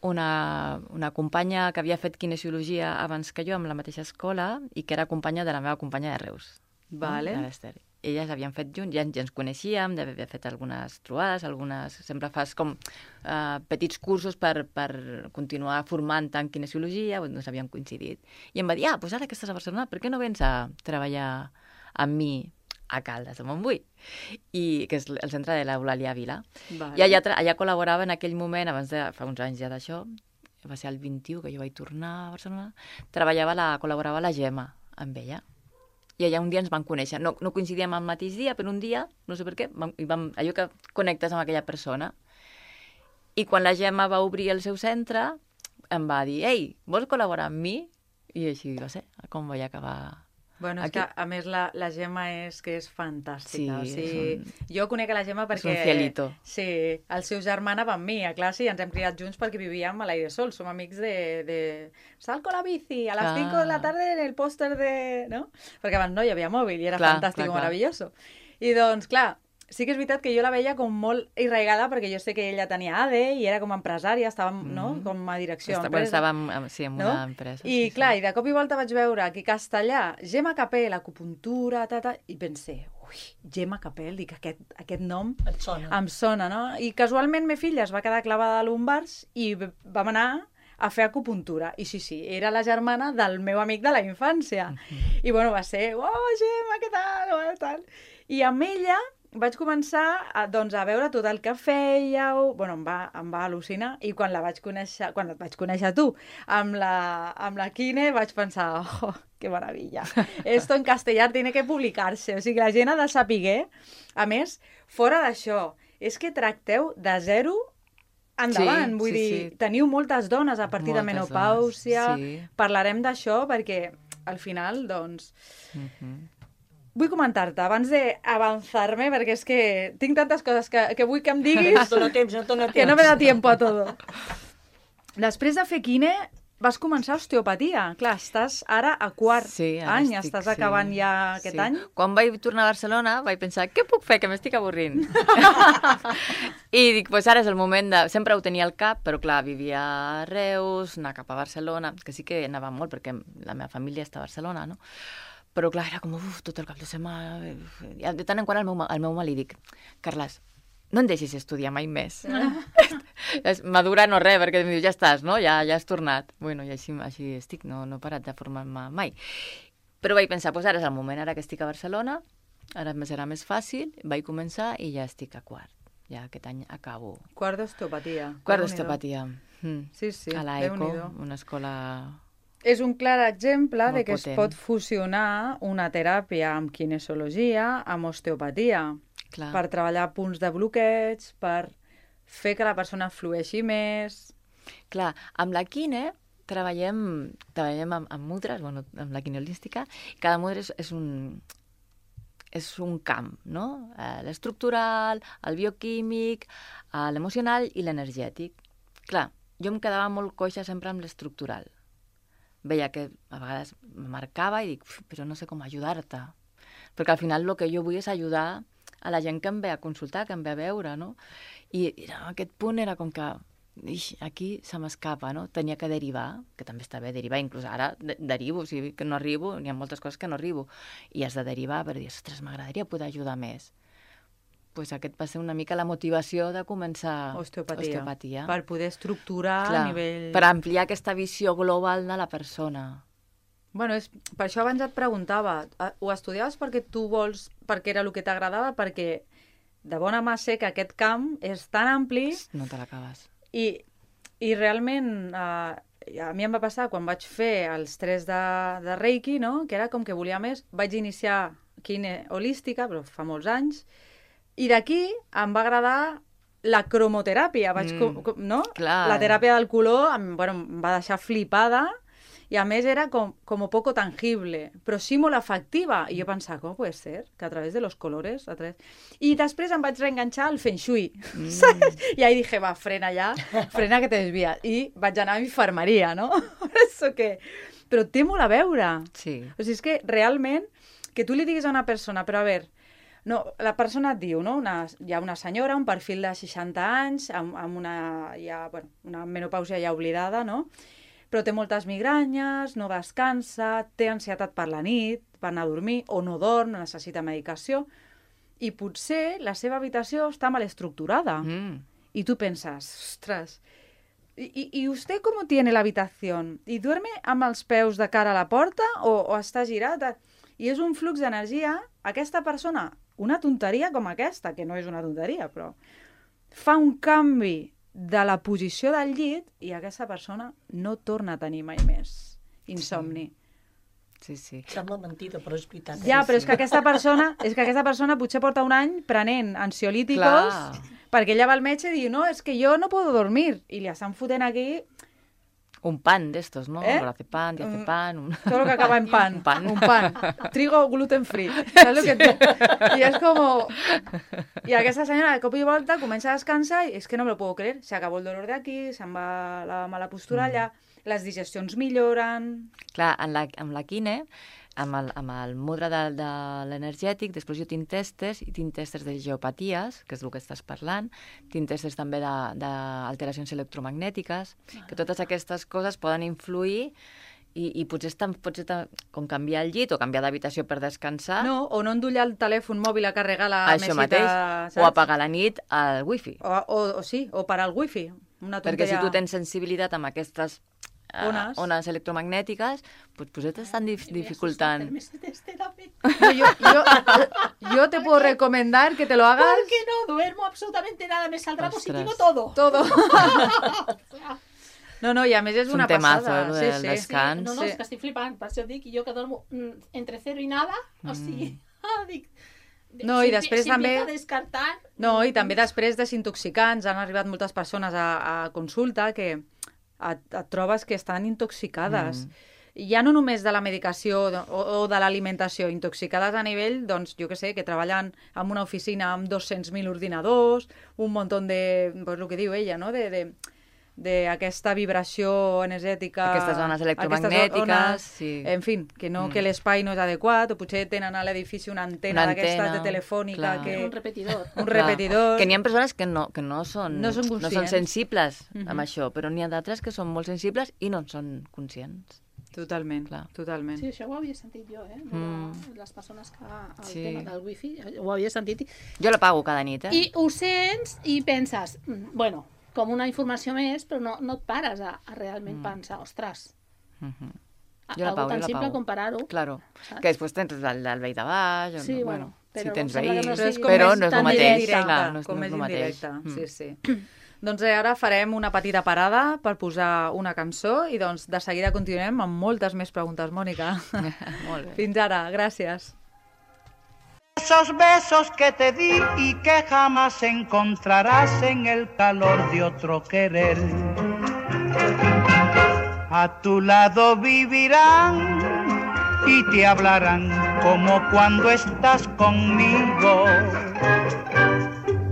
[SPEAKER 2] una, una companya que havia fet kinesiologia abans que jo amb la mateixa escola i que era companya de la meva companya de Reus.
[SPEAKER 1] Vale.
[SPEAKER 2] No? De l'Ester. Elles havien fet junts, ja, ja ens coneixíem, ja havia fet algunes trobades, algunes... Sempre fas com uh, petits cursos per, per continuar formant en kinesiologia, doncs havíem coincidit. I em va dir, ah, doncs ara que estàs a Barcelona, per què no vens a treballar amb mi a Caldes de Montbui, i, que és el centre de l'Eulàlia Vila.
[SPEAKER 1] Vale.
[SPEAKER 2] I allà, allà col·laborava en aquell moment, abans de, fa uns anys ja d'això, va ser el vint-i-u que jo vaig tornar a Barcelona, treballava la, col·laborava la Gemma amb ella. I allà un dia ens vam conèixer. No, no coincidíem el mateix dia, però un dia, no sé per què, vam, i vam, allò que connectes amb aquella persona. I quan la Gemma va obrir el seu centre, em va dir, ei, vols col·laborar amb mi? I així va ser, com vaig acabar...
[SPEAKER 1] Bueno, és
[SPEAKER 2] Aquí.
[SPEAKER 1] que, a més, la, la Gemma és que és fantàstica.
[SPEAKER 2] Sí,
[SPEAKER 1] o sigui,
[SPEAKER 2] és
[SPEAKER 1] jo conec a la Gemma perquè...
[SPEAKER 2] un cielito.
[SPEAKER 1] Sí, el seu germà anava amb mi a classe i ens hem criat junts perquè vivíem a l'aire sol. Som amics de... de... Sal con la bici, a las
[SPEAKER 2] Clar.
[SPEAKER 1] cinco de la tarde en el póster de... No? Perquè abans no hi havia mòbil i era
[SPEAKER 2] Clar,
[SPEAKER 1] fantàstic
[SPEAKER 2] clar,
[SPEAKER 1] i
[SPEAKER 2] clar.
[SPEAKER 1] meravelloso. I doncs, clar, sí que és veritat que jo la veia com molt irraigada perquè jo sé que ella tenia A D E i era com a empresària, estava no? com a direcció
[SPEAKER 2] Està,
[SPEAKER 1] d'empresa.
[SPEAKER 2] bueno, estava en, en- sí, en
[SPEAKER 1] No?
[SPEAKER 2] una empresa.
[SPEAKER 1] I
[SPEAKER 2] sí,
[SPEAKER 1] clar,
[SPEAKER 2] sí.
[SPEAKER 1] i de cop i volta vaig veure aquí a Castellà, Gemma Capel, acupuntura, ta, ta, i pensé, ui, Gemma Capel, dic, aquest, aquest nom
[SPEAKER 4] Et sona?
[SPEAKER 1] em sona, no? I casualment me filla es va quedar clavada a lumbars i v- vam anar a fer acupuntura. I sí, sí, era la germana del meu amic de la infància. I bueno, va ser, oh, Gemma, què tal? Oh, tal. I amb ella vaig començar a, doncs, a veure tot el que fèieu, bueno, em va, em va al·lucinar, i quan la vaig conèixer, quan et vaig conèixer tu, amb la, amb la Quine, vaig pensar, oh, que meravella, esto en castellà tiene que publicar-se, o sigui, la gent ha de saber, a més, fora d'això, és que tracteu de zero endavant,
[SPEAKER 2] Sí,
[SPEAKER 1] vull
[SPEAKER 2] sí,
[SPEAKER 1] dir,
[SPEAKER 2] sí.
[SPEAKER 1] teniu moltes dones a partir de
[SPEAKER 2] Moltes
[SPEAKER 1] menopàusia,
[SPEAKER 2] dones, sí.
[SPEAKER 1] parlarem d'això perquè al final, doncs,
[SPEAKER 2] Mhm.
[SPEAKER 1] vull comentar-te, abans d'avançar-me, perquè és que tinc tantes coses que, que vull que em diguis
[SPEAKER 4] No et dona temps, no et dona temps.
[SPEAKER 1] que no me da tiempo a todo. Després de fer quine, vas començar osteopatia. Clar, estàs ara a quart
[SPEAKER 2] Sí, ara
[SPEAKER 1] any,
[SPEAKER 2] estic,
[SPEAKER 1] estàs
[SPEAKER 2] sí.
[SPEAKER 1] acabant ja aquest
[SPEAKER 2] Sí.
[SPEAKER 1] any.
[SPEAKER 2] Quan vaig tornar a Barcelona vaig pensar, què puc fer, que m'estic avorrint? I dic, pues ara és el moment de... Sempre ho tenia al cap, però clar, vivia a Reus, anar cap a Barcelona, que sí que anava molt perquè la meva família està a Barcelona, no? Però clar, era com, uf, tot el cap de setmana... I de tant en quant al meu, al meu mal li dic, Carles, no em deixis estudiar mai més. És madura no res, perquè em diu, ja estàs, no? Ja, ja has tornat. Bueno, i així, així estic, no, no he parat de formar-me mai. Però vaig pensar, doncs ara és el moment, ara que estic a Barcelona, ara me serà més fàcil, vaig començar i ja estic a quart. Ja aquest any acabo.
[SPEAKER 1] Quart d'osteopatia.
[SPEAKER 2] Quart
[SPEAKER 1] Déu-n'hi-do.
[SPEAKER 2] d'osteopatia. Mm.
[SPEAKER 1] Sí, sí,
[SPEAKER 2] A l'Eco,
[SPEAKER 1] Déu-n'hi-do.
[SPEAKER 2] una escola...
[SPEAKER 1] És un clar exemple
[SPEAKER 2] Molt
[SPEAKER 1] de que es
[SPEAKER 2] potent.
[SPEAKER 1] pot fusionar una teràpia amb kinesiologia, amb osteopatia,
[SPEAKER 2] Clar.
[SPEAKER 1] per treballar punts de bloqueig, per fer que la persona flueixi més...
[SPEAKER 2] Clar, amb la quine treballem, treballem amb, amb mudres, bueno, amb la quine holística, i cada mudra és, és un... és un camp, no? Eh, l'estructural, el bioquímic, eh, l'emocional i l'energètic. Clar, jo em quedava molt coixa sempre amb l'estructural. Veia que a vegades me marcava i dic, però no sé com ajudar-te. Perquè al final el que jo vull és ajudar a la gent que em ve a consultar, que em ve a veure, no? I, i en aquest punt era com que ix, aquí se m'escapa, no? Tenia que derivar, que també està bé derivar, inclús ara de derivo, o sigui que no arribo, n'hi ha moltes coses que no arribo, i has de derivar per dir, ostres, m'agradaria poder ajudar més. Pues aquest va ser una mica la motivació de començar
[SPEAKER 1] Osteopatia.
[SPEAKER 2] osteopatia.
[SPEAKER 1] Per poder estructurar
[SPEAKER 2] Clar,
[SPEAKER 1] a nivell...
[SPEAKER 2] per ampliar aquesta visió global de la persona.
[SPEAKER 1] Bueno, és, per això abans et preguntava, eh, ho estudiaves perquè tu vols, perquè era el que t'agradava, perquè de bona mà sé que aquest camp és tan ampli
[SPEAKER 2] No te l'acabes.
[SPEAKER 1] i, i realment eh, a mi em va passar quan vaig fer els tres de, de Reiki, no? Que era com que volia més. Vaig iniciar quine holística, però fa molts anys, i d'aquí em va agradar la cromoteràpia, vaig,
[SPEAKER 2] Mm,
[SPEAKER 1] com, com, no?
[SPEAKER 2] clar.
[SPEAKER 1] La teràpia del color em, bueno, em va deixar flipada i a més era com, com poco tangible, però sí molt efectiva. I jo pensava, com pot ser? Que a través de los colores... A través... I després em vaig reenganxar al Feng Shui, mm. saps? I ahí dije, va, frena ja, frena que te desvies. I vaig anar a infermeria, no? Per això que... Però té molt a veure.
[SPEAKER 2] Sí.
[SPEAKER 1] O sigui, és que realment, que tu li diguis a una persona, però a veure, no, la persona et diu, no? Una, hi ha una senyora, un perfil de seixanta anys, amb, amb una, ja, bueno, una menopàusia ja oblidada, no? Però té moltes migranyes, no descansa, té ansietat per la nit, per anar a dormir, o no dorm, necessita medicació, i potser la seva habitació està mal estructurada.
[SPEAKER 2] Mm.
[SPEAKER 1] Y tú pensas, ostras, ¿y, y usted cómo tiene la habitación? ¿Y duerme amb els peus de cara a la porta o, o està girat? I és un flux d'energia. Aquesta persona, una tonteria com aquesta, que no és una tonteria, però fa un canvi de la posició del llit i aquesta persona no torna a tenir mai més insomni.
[SPEAKER 2] Sí, sí.
[SPEAKER 4] Sembla mentida, però és veritat. eh?
[SPEAKER 1] Ja, però és que aquesta persona, és que aquesta persona potser porta un any prenent ansiolíticos
[SPEAKER 2] Clar.
[SPEAKER 1] perquè ella va al metge i diu, no, és que jo no puedo dormir. I li estan fotent aquí
[SPEAKER 2] Un pan d'estos, ¿no?
[SPEAKER 1] ¿Eh?
[SPEAKER 2] Lorazepam, diazepam... Un...
[SPEAKER 1] todo lo que acaba en pan.
[SPEAKER 2] Un pan.
[SPEAKER 1] Un pan. Trigo gluten free. ¿Sabes lo que te... Y es como... Y aquesta senyora de cop i volta comença a descansar i és que no me lo puedo creer. Se acabó el dolor de aquí, se'n va la mala postura allà, les digestions milloren...
[SPEAKER 2] Clar, en la, amb la quine, amb el, amb el mudra de, de l'energètic, després jo tinc testes, i tinc testes de geopaties, que és el que estàs parlant, tinc testes també d'alteracions electromagnètiques, que totes aquestes coses poden influir i, i potser, estan, potser estan, com canviar el llit o canviar d'habitació per descansar,
[SPEAKER 1] No, o no endollar el telèfon mòbil a carregar la
[SPEAKER 2] això
[SPEAKER 1] mesita,
[SPEAKER 2] mateix,
[SPEAKER 1] saps?
[SPEAKER 2] o apagar a la nit el wifi.
[SPEAKER 1] O, o, o sí, o parar el wifi. Una
[SPEAKER 2] Perquè si
[SPEAKER 1] tonteria.
[SPEAKER 2] tu tens sensibilitat amb aquestes eh,
[SPEAKER 1] Ones.
[SPEAKER 2] ones electromagnètiques, pues, pues t'estan dif dificultant.
[SPEAKER 1] No, yo, yo, yo te puedo recomendar que te lo hagas
[SPEAKER 3] Porque no duermo absolutamente nada, me saldrá
[SPEAKER 2] Ostras.
[SPEAKER 3] positivo todo.
[SPEAKER 1] todo. No, no, i a més és
[SPEAKER 2] És un
[SPEAKER 1] una
[SPEAKER 2] temazo,
[SPEAKER 1] passada.
[SPEAKER 2] eh, lo
[SPEAKER 1] Sí,
[SPEAKER 2] del
[SPEAKER 1] sí.
[SPEAKER 2] des- Descans.
[SPEAKER 3] No, no,
[SPEAKER 1] Sí.
[SPEAKER 3] és que estic flipant, per això dic, jo que dormo mm, entre cero i nada, o sigui, ah, dic...
[SPEAKER 1] No, i
[SPEAKER 3] si-
[SPEAKER 1] després
[SPEAKER 3] si
[SPEAKER 1] també-
[SPEAKER 3] empiezo a descartar...
[SPEAKER 1] No, i també després desintoxicants. Han arribat moltes persones a, a consulta que et, et trobes que estan intoxicades. Mm. Ja no només de la medicació o, o de l'alimentació, intoxicades a nivell, doncs, jo que sé, que treballen en una oficina amb dos-cents mil ordinadors, un munt de, pues, el que diu ella, no?, de, de d'aquesta vibració energètica...
[SPEAKER 2] Aquestes ones electromagnètiques,
[SPEAKER 1] ones,
[SPEAKER 2] sí.
[SPEAKER 1] En fi, que, no,
[SPEAKER 2] Mm.
[SPEAKER 1] que l'espai no és adequat, o potser tenen a l'edifici una antena
[SPEAKER 2] Una
[SPEAKER 1] d'aquestes
[SPEAKER 2] antena,
[SPEAKER 1] de telefònica
[SPEAKER 2] clar.
[SPEAKER 1] que...
[SPEAKER 3] Un repetidor.
[SPEAKER 1] Un
[SPEAKER 2] Clar,
[SPEAKER 1] repetidor.
[SPEAKER 2] Que n'hi ha persones que no, que no són,
[SPEAKER 1] No són
[SPEAKER 2] no són
[SPEAKER 1] conscients.
[SPEAKER 2] sensibles
[SPEAKER 1] Mhm.
[SPEAKER 2] amb això, però n'hi ha d'altres que són molt sensibles i no en són conscients.
[SPEAKER 1] Totalment,
[SPEAKER 2] Clar.
[SPEAKER 1] totalment.
[SPEAKER 3] Sí, això ho havia sentit jo, eh? De
[SPEAKER 2] Mm.
[SPEAKER 3] les persones que... El
[SPEAKER 2] Sí.
[SPEAKER 3] tema del wifi, ho havia sentit.
[SPEAKER 2] Jo la pago cada nit, eh?
[SPEAKER 3] I ho sents i penses, mm, bueno, com una informació més, però no, no et pares a, a realment
[SPEAKER 2] Mm.
[SPEAKER 3] pensar, ostres,
[SPEAKER 2] Mhm.
[SPEAKER 3] a-
[SPEAKER 2] Jo la
[SPEAKER 3] algo
[SPEAKER 2] pago,
[SPEAKER 3] tan
[SPEAKER 2] jo la
[SPEAKER 3] simple
[SPEAKER 2] pago.
[SPEAKER 3] com parar-ho.
[SPEAKER 2] Claro,
[SPEAKER 3] Saps?
[SPEAKER 2] que després tens el, el veí de baix, o
[SPEAKER 3] Sí,
[SPEAKER 2] no,
[SPEAKER 3] bueno, però
[SPEAKER 2] si tens
[SPEAKER 3] em sembla
[SPEAKER 2] veí,
[SPEAKER 3] que no
[SPEAKER 1] Però és
[SPEAKER 3] sigui-
[SPEAKER 1] com
[SPEAKER 2] però
[SPEAKER 1] més
[SPEAKER 2] no és el
[SPEAKER 1] tan
[SPEAKER 2] mateix,
[SPEAKER 1] indirecte,
[SPEAKER 2] clar, no és,
[SPEAKER 1] com
[SPEAKER 2] no és
[SPEAKER 1] més
[SPEAKER 2] el mateix.
[SPEAKER 1] indirecte,
[SPEAKER 2] Mm.
[SPEAKER 1] sí, sí. Doncs eh, ara farem una petita parada per posar una cançó i doncs de seguida continuem amb moltes més preguntes, Mònica.
[SPEAKER 2] Molt bé.
[SPEAKER 1] Fins ara, gràcies.
[SPEAKER 5] Esos besos que te di y que jamás encontrarás en el calor de otro querer. A tu lado vivirán y te hablarán como cuando estás conmigo.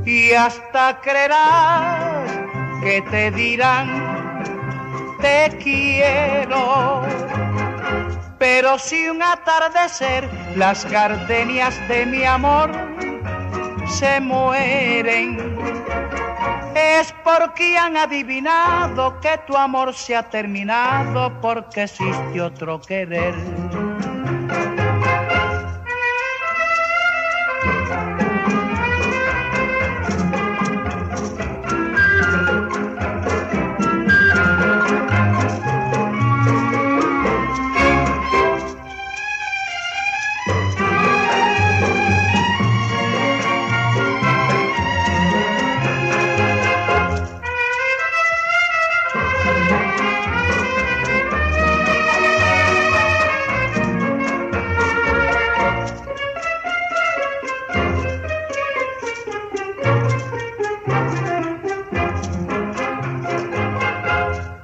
[SPEAKER 5] Y hasta creerás que te dirán te quiero. Pero si un atardecer las gardenias de mi amor se mueren, es porque han adivinado que tu amor se ha terminado porque existe otro querer.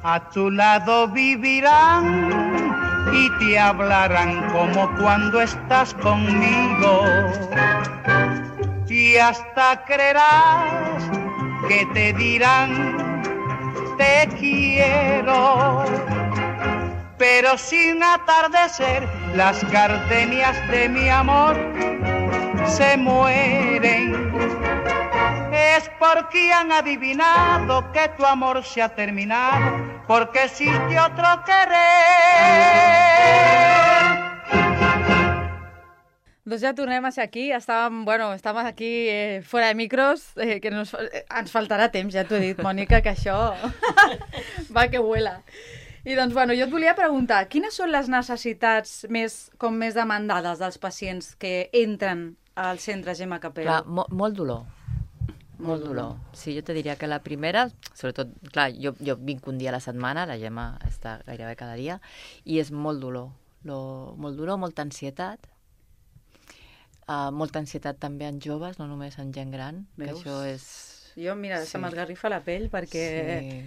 [SPEAKER 5] A tu lado vivirán y te hablarán como cuando estás conmigo. Y hasta creerás que te dirán te quiero. Pero sin atardecer las gardenias de mi amor se mueren. Es porque han adivinado que tu amor se ha terminado, porque existe otro querer.
[SPEAKER 1] Doncs ja tornem a ser aquí. Estàvem, bueno, estàvem aquí eh, fora de micros, eh, que nos, eh, ens faltarà temps, ja t'ho he dit, Mònica, que això va que vuela. I doncs, bueno, jo et volia preguntar, quines són les necessitats més, com més demandades dels pacients que entren al centre Gemma Capel?
[SPEAKER 2] Clar, mo molt dolor. Molt dolor. Sí, jo te diria que la primera, sobretot, clar, jo, jo vinc un dia a la setmana, la Gemma està gairebé cada dia, i és molt dolor. Lo, molt dolor, molta ansietat. Uh, molta ansietat també en joves, no només en gent gran,
[SPEAKER 1] Veus?
[SPEAKER 2] que això és...
[SPEAKER 1] Jo, mira, sí. se m'esgarrifa la pell perquè...
[SPEAKER 2] Sí.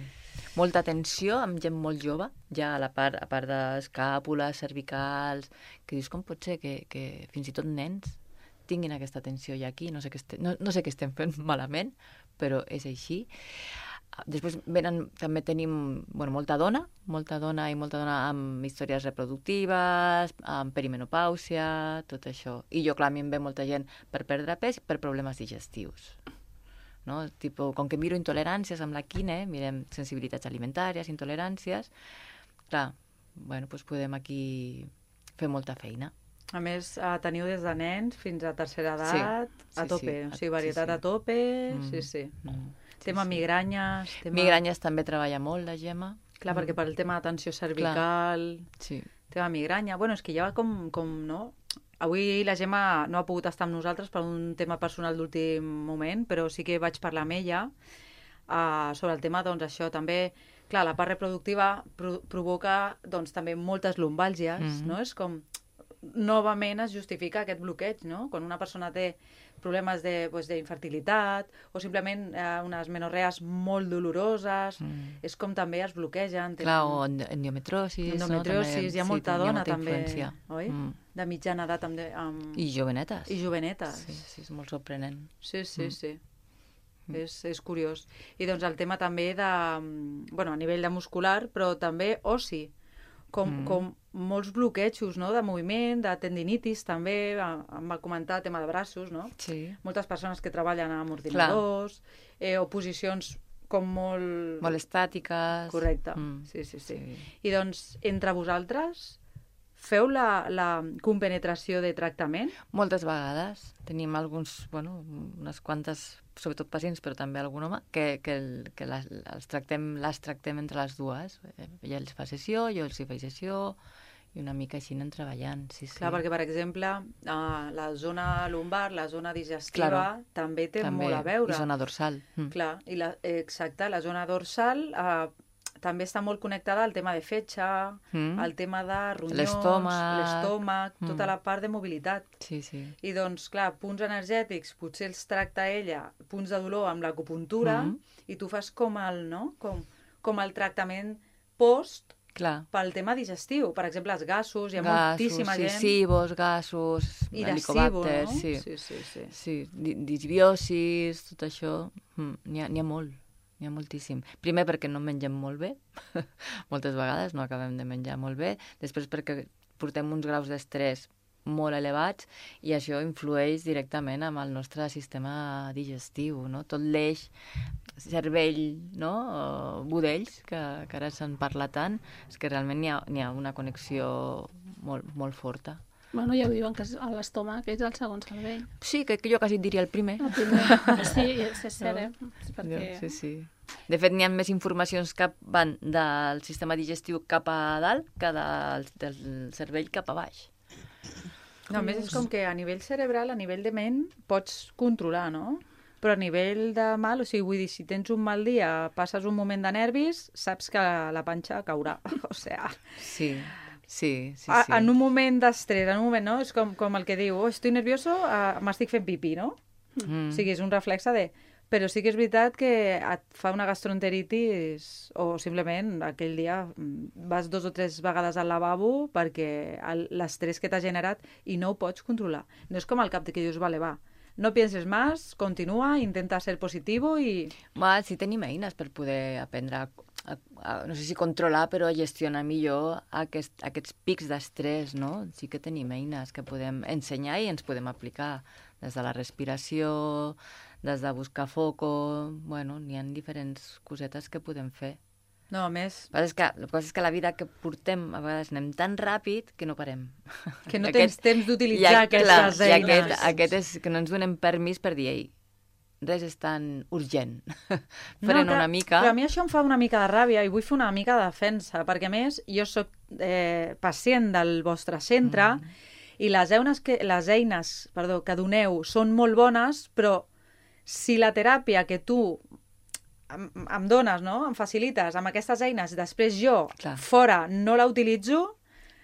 [SPEAKER 2] Molta tensió amb gent molt jove, ja a la part, a part d'escàpules, cervicals, que dius, com pot ser que, que fins i tot nens tinguin aquesta tensió ja aquí, no sé què estem, no, no sé què estem fent malament, però és així. Després venen, també tenim bueno, molta dona, molta dona i molta dona amb històries reproductives, amb perimenopàusia, tot això. I jo, clar, a mi em ve molta gent per perdre pes i per problemes digestius. No? Tipo, com que miro intoleràncies amb la quine, mirem sensibilitats alimentàries, intoleràncies, clar, bueno, doncs podem aquí fer molta feina.
[SPEAKER 1] A més, eh, teniu des de nens fins a tercera edat,
[SPEAKER 2] Sí,
[SPEAKER 1] a
[SPEAKER 2] sí,
[SPEAKER 1] tope,
[SPEAKER 2] sí.
[SPEAKER 1] o sigui, varietat
[SPEAKER 2] Sí, sí.
[SPEAKER 1] a tope,
[SPEAKER 2] Mm,
[SPEAKER 1] sí, sí.
[SPEAKER 2] Mm.
[SPEAKER 1] Tema
[SPEAKER 2] sí, sí.
[SPEAKER 1] migranyes... Tema...
[SPEAKER 2] Migranyes també treballa molt, la Gemma.
[SPEAKER 1] Clar, perquè per el tema de tensió cervical,
[SPEAKER 2] Sí.
[SPEAKER 1] tema migranya... Bueno, és que ja va com, com, no? Avui la Gemma no ha pogut estar amb nosaltres per un tema personal d'últim moment, però sí que vaig parlar amb ella uh, sobre el tema, doncs, això també... Clar, la part reproductiva pro provoca, doncs, també moltes lumbàlgies,
[SPEAKER 2] Mhm.
[SPEAKER 1] no? És com... Novament es justifica aquest bloqueig, no? Quan una persona té problemes de, pues, d'infertilitat o simplement eh, unes menorrees molt doloroses,
[SPEAKER 2] Mm.
[SPEAKER 1] és com també es bloquegen. tenen-
[SPEAKER 2] Clar, o endo- endometriosis,
[SPEAKER 1] endometriosis,
[SPEAKER 2] no? També,
[SPEAKER 1] hi ha molta
[SPEAKER 2] sí,
[SPEAKER 1] dona
[SPEAKER 2] hi ha molta
[SPEAKER 1] també,
[SPEAKER 2] influència.
[SPEAKER 1] oi?
[SPEAKER 2] Mm.
[SPEAKER 1] De mitjana edat també, amb...
[SPEAKER 2] I jovenetes.
[SPEAKER 1] I jovenetes.
[SPEAKER 2] Sí, sí, és molt sorprenent.
[SPEAKER 1] Sí, sí,
[SPEAKER 2] Mm.
[SPEAKER 1] sí. Mm. És, és curiós. I doncs el tema també de, bueno, a nivell de muscular, però també oci, com, mm. com molts bloquejos, no?, de moviment, de tendinitis també, em va comentar el tema de braços, no?
[SPEAKER 2] Sí.
[SPEAKER 1] Moltes persones que treballen amb ordinadors, eh, o posicions com molt...
[SPEAKER 2] Molt estàtiques.
[SPEAKER 1] Correcte, mm. sí, sí, sí, sí. I doncs, entre vosaltres, feu la, la compenetració de tractament?
[SPEAKER 2] Moltes vegades. Tenim alguns, bueno, unes quantes, sobretot pacients, però també algun home, que, que, el, que les, els tractem, les tractem entre les dues. Ella els fa sessió, jo els hi faig sessió, i una mica així anem treballant, sí, sí.
[SPEAKER 1] Clar, perquè, per exemple, uh, la zona lumbar, la zona digestiva, claro, també té també, molt a veure.
[SPEAKER 2] I zona dorsal. Mm.
[SPEAKER 1] Clar, i la, exacte, la zona dorsal uh, també està molt connectada al tema de fetge, mm. al tema de ronyons, l'estómac, mm. tota la part de mobilitat.
[SPEAKER 2] Sí, sí.
[SPEAKER 1] I doncs, clar, punts energètics, potser els tracta ella, punts de dolor amb l'acupuntura, mm. i tu fas com el, no? com, com el tractament post,
[SPEAKER 2] clar,
[SPEAKER 1] pel tema digestiu. Per exemple, els gasos, hi ha
[SPEAKER 2] gasos,
[SPEAKER 1] moltíssima
[SPEAKER 2] sí,
[SPEAKER 1] gent...
[SPEAKER 2] Sibos, gasos, helicobacter,
[SPEAKER 1] no?
[SPEAKER 2] sí.
[SPEAKER 1] Sí, sí, sí.
[SPEAKER 2] Sí, disbiosis, tot això, mm, n'hi ha, n'hi ha molt, n'hi ha moltíssim. Primer perquè no mengem molt bé, moltes vegades no acabem de menjar molt bé, després perquè portem uns graus d'estrès molt elevats i això influeix directament amb el nostre sistema digestiu, no? Tot l'eix cervell, no? O budells, que, que ara se'n parla tant, és que realment n'hi ha, n'hi ha una connexió molt, molt forta.
[SPEAKER 3] Bueno, ja ho diuen, que l'estómac és el segon cervell.
[SPEAKER 2] Sí, que jo quasi diria el primer.
[SPEAKER 3] El primer, sí, és cert, eh? Perquè...
[SPEAKER 2] Sí, sí. De fet, n'hi ha més informacions que van del sistema digestiu cap a dalt que del, del cervell cap a baix.
[SPEAKER 1] No, a més, és com que a nivell cerebral, a nivell de ment, pots controlar, no? Però a nivell de mal, o sigui, vull dir, si tens un mal dia, passes un moment de nervis, saps que la panxa caurà. O sigui...
[SPEAKER 2] Sí, sí, sí, sí.
[SPEAKER 1] A, en un moment d'estrès, en un moment, no? És com, com el que diu, oh, estoy nervioso, uh, m'estic fent pipí, no? Mm. O sigui, és un reflexe de... Però sí que és veritat que et fa una gastroenteritis o simplement aquell dia vas dos o tres vegades al lavabo perquè l'estrès que t'ha generat i no ho pots controlar. No és com al cap de que dius, vale, va, no pienses más, continua, intenta ser positivo i...
[SPEAKER 2] Va, sí tenim eines per poder aprendre a, a, a no sé si controlar, però a gestionar millor aquest, aquests pics d'estrès, no? Sí que tenim eines que podem ensenyar i ens podem aplicar des de la respiració, des de buscar foco, bueno, n'hi ha diferents cosetes que podem fer.
[SPEAKER 1] No, a més...
[SPEAKER 2] El que, el que passa és que la vida que portem, a vegades anem tan ràpid que no parem.
[SPEAKER 1] Que no tens temps d'utilitzar aquestes
[SPEAKER 2] eines. I
[SPEAKER 1] aquest,
[SPEAKER 2] aquest és que no ens donem permís per dir, ei, res és tan urgent. Frena
[SPEAKER 1] no,
[SPEAKER 2] una mica.
[SPEAKER 1] Però a mi això em fa una mica de ràbia i vull fer una mica de defensa, perquè a més jo sóc eh, pacient del vostre centre mm. i les eines, que, les eines perdó, que doneu són molt bones, però si la teràpia que tu em, em dones, no? Em facilites amb aquestes eines, després jo, clar, fora, no la utilitzo,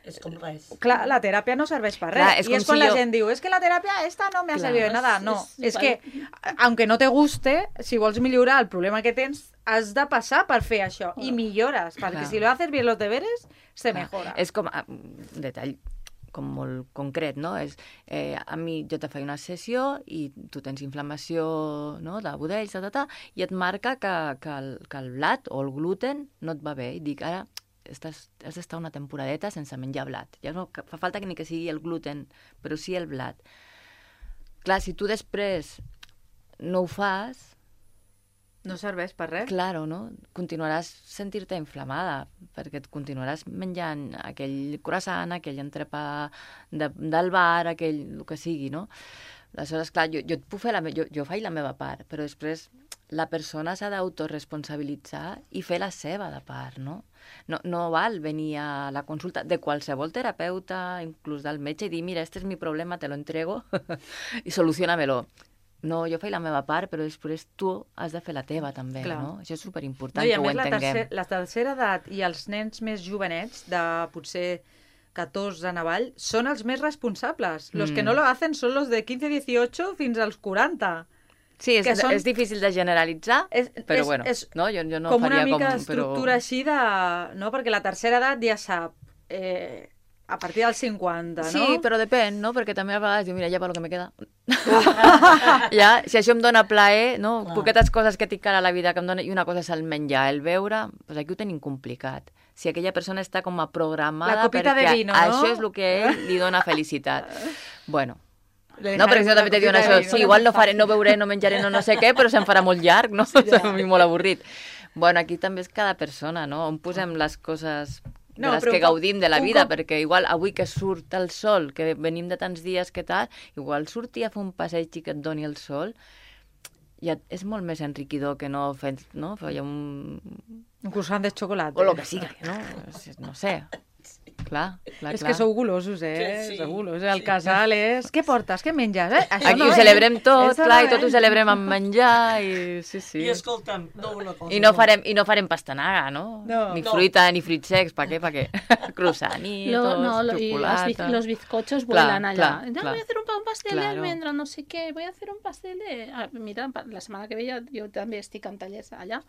[SPEAKER 4] és com res.
[SPEAKER 1] Clar, la teràpia no serveix per res. Clar, és I és quan si la jo... gent diu, és que la teràpia esta no me ha servido de nada. No, és, és, és que, aunque no te guste, si vols millorar el problema que tens, has de passar per fer això. Oh. I millores, perquè clar, si lo haces bien los deberes, se clar, mejora.
[SPEAKER 2] És com, un detall com molt concret, no? És, eh, a mi jo te faig una sessió i tu tens inflamació, no?, de budells, ta, ta, ta, i et marca que, que, el, que el blat o el gluten no et va bé. I dic, ara estàs, has d'estar una temporadeta sense menjar blat. Ja no fa falta que ni que sigui el gluten, però sí el blat. Clar, si tu després no ho fas...
[SPEAKER 1] No serveix per res.
[SPEAKER 2] Claro, no? Continuaràs sentir-te inflamada, perquè et continuaràs menjant aquell croissant, aquell entrepà de, del bar, aquell, el que sigui, no? Aleshores, clar, jo, jo, et puc fer la, jo, jo faig la meva part, però després la persona s'ha d'autoresponsabilitzar i fer la seva de part, no? No, no val venir a la consulta de qualsevol terapeuta, inclús del metge, i dir, mira, este és mi problema, te lo entrego i soluciona-me-lo. No, jo faig la meva part, però després tu has de fer la teva també, clar, no? Això és superimportant, no, que ho entenguem. I a més, la, tercer,
[SPEAKER 1] la tercera edat i els nens més jovenets, de potser catorze en avall, són els més responsables. Mm. Los que no lo hacen són los de quinze a dieciocho fins als quaranta.
[SPEAKER 2] Sí, és, són... és difícil de generalitzar, és, però és, bueno,
[SPEAKER 1] és
[SPEAKER 2] no? jo, jo no
[SPEAKER 1] com
[SPEAKER 2] faria
[SPEAKER 1] una mica
[SPEAKER 2] com...
[SPEAKER 1] d'estructura
[SPEAKER 2] però...
[SPEAKER 1] així de... No? Perquè la tercera edat ja sap... Eh, a partir dels cinquanta, no?
[SPEAKER 2] Sí, però depèn, no? Perquè també a vegades diu, mira, ja per lo que me queda. Ja, si això em dona plaer, no?
[SPEAKER 4] Clar.
[SPEAKER 2] Poquetes coses que tinc ara a la vida que em dona, i una cosa és el menjar, el beure, doncs aquí ho tenim complicat. Si aquella persona està com a programada
[SPEAKER 1] La copita de
[SPEAKER 2] perquè
[SPEAKER 1] vino, no?
[SPEAKER 2] això és el que a ell li dona felicitat. Bueno,
[SPEAKER 1] Le
[SPEAKER 2] no, perquè
[SPEAKER 1] dejarem
[SPEAKER 2] això també
[SPEAKER 1] una
[SPEAKER 2] te diuen
[SPEAKER 1] copita de
[SPEAKER 2] això,
[SPEAKER 1] vino.
[SPEAKER 2] sí, igual no faré, no beuré, no menjaré, no no sé què, però se'm farà molt llarg, no? Sí, ja. A mi molt avorrit. Bueno, aquí també és cada persona, no? On posem les coses de
[SPEAKER 1] No,
[SPEAKER 2] les
[SPEAKER 1] però
[SPEAKER 2] que
[SPEAKER 1] un cop-
[SPEAKER 2] gaudim de la
[SPEAKER 1] un
[SPEAKER 2] vida,
[SPEAKER 1] cop-
[SPEAKER 2] perquè igual avui que surt el sol, que venim de tants dies que tal, igual sortir a fer un passeig i que et doni el sol, ja és molt més enriquidor que no fer, no? Fer un...
[SPEAKER 1] Un croissant de xocolata.
[SPEAKER 2] o el que sigui, no? No sé. Clar, clar,
[SPEAKER 1] És
[SPEAKER 2] clar.
[SPEAKER 1] que sou golosos, eh?
[SPEAKER 4] Sí, sí.
[SPEAKER 1] Sou golosos. El casal és... Què portes? Què menges? Eh? Això
[SPEAKER 2] Aquí
[SPEAKER 1] no,
[SPEAKER 2] ho
[SPEAKER 1] eh?
[SPEAKER 2] celebrem tot,
[SPEAKER 1] Eso
[SPEAKER 2] clar,
[SPEAKER 1] no,
[SPEAKER 2] i tot
[SPEAKER 1] eh?
[SPEAKER 2] ho celebrem amb menjar, i sí, sí.
[SPEAKER 4] I escolta'm, no una cosa.
[SPEAKER 2] I no farem, i no farem pastanaga, no?
[SPEAKER 1] No.
[SPEAKER 2] Ni
[SPEAKER 4] No.
[SPEAKER 2] fruita, ni fruits secs, pa què, pa què? Croissanitos,
[SPEAKER 3] Lo- no, lo- y los,
[SPEAKER 2] xocolata...
[SPEAKER 3] biz- los bizcochos
[SPEAKER 2] Clar,
[SPEAKER 3] vuelan allá.
[SPEAKER 2] clar,
[SPEAKER 3] No,
[SPEAKER 2] clar.
[SPEAKER 3] voy a hacer un, pa- un pastel de
[SPEAKER 2] Claro.
[SPEAKER 3] almendra, no sé què, voy a hacer un pastel de... Ah, mira, pa- la setmana que ve ja, jo també estic en tallers allà.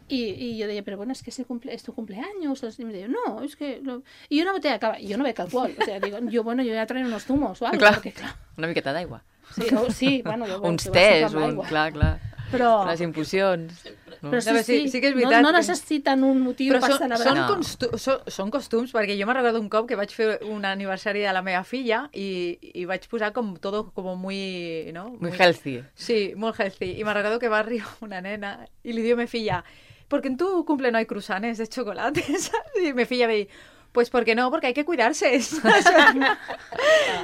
[SPEAKER 3] Y, y yo decía, pero bueno, es que es, el cumple, es tu cumpleaños. Y me decía, no, es que... Lo... Y una botella de cava. Y yo no beco alcohol. O sea, digo, yo, bueno, yo voy a traer unos zumos o algo.
[SPEAKER 2] Clar,
[SPEAKER 3] Porque, clar,
[SPEAKER 2] una miqueta d'aigua.
[SPEAKER 3] sí, o, sí, bueno, jo
[SPEAKER 2] Uns
[SPEAKER 3] jo vaig
[SPEAKER 2] tés,
[SPEAKER 3] sempre amb
[SPEAKER 2] un...
[SPEAKER 3] aigua.
[SPEAKER 2] Clar, clar.
[SPEAKER 3] Però,
[SPEAKER 2] Les infusions. No?
[SPEAKER 3] però sí,
[SPEAKER 1] No, però sí-
[SPEAKER 3] sí,
[SPEAKER 1] sí que és
[SPEAKER 3] no,
[SPEAKER 1] veritat
[SPEAKER 3] no
[SPEAKER 1] que-
[SPEAKER 3] necessiten un motiu
[SPEAKER 1] Però
[SPEAKER 3] per
[SPEAKER 1] són,
[SPEAKER 3] celebrar.
[SPEAKER 1] són,
[SPEAKER 2] No.
[SPEAKER 1] costu són, són costums, perquè jo me'n recordo un cop que vaig fer un aniversari de la meva filla i, i vaig posar com todo como muy... ¿no?
[SPEAKER 2] Muy healthy.
[SPEAKER 1] Sí, molt healthy. I me'n recordo que va arribar una nena i li diu a mi filla, porque en tu cumple no hay cruzanes de chocolate, ¿sabes? Y mi filla me diu, pues porque no, porque hay que cuidarse.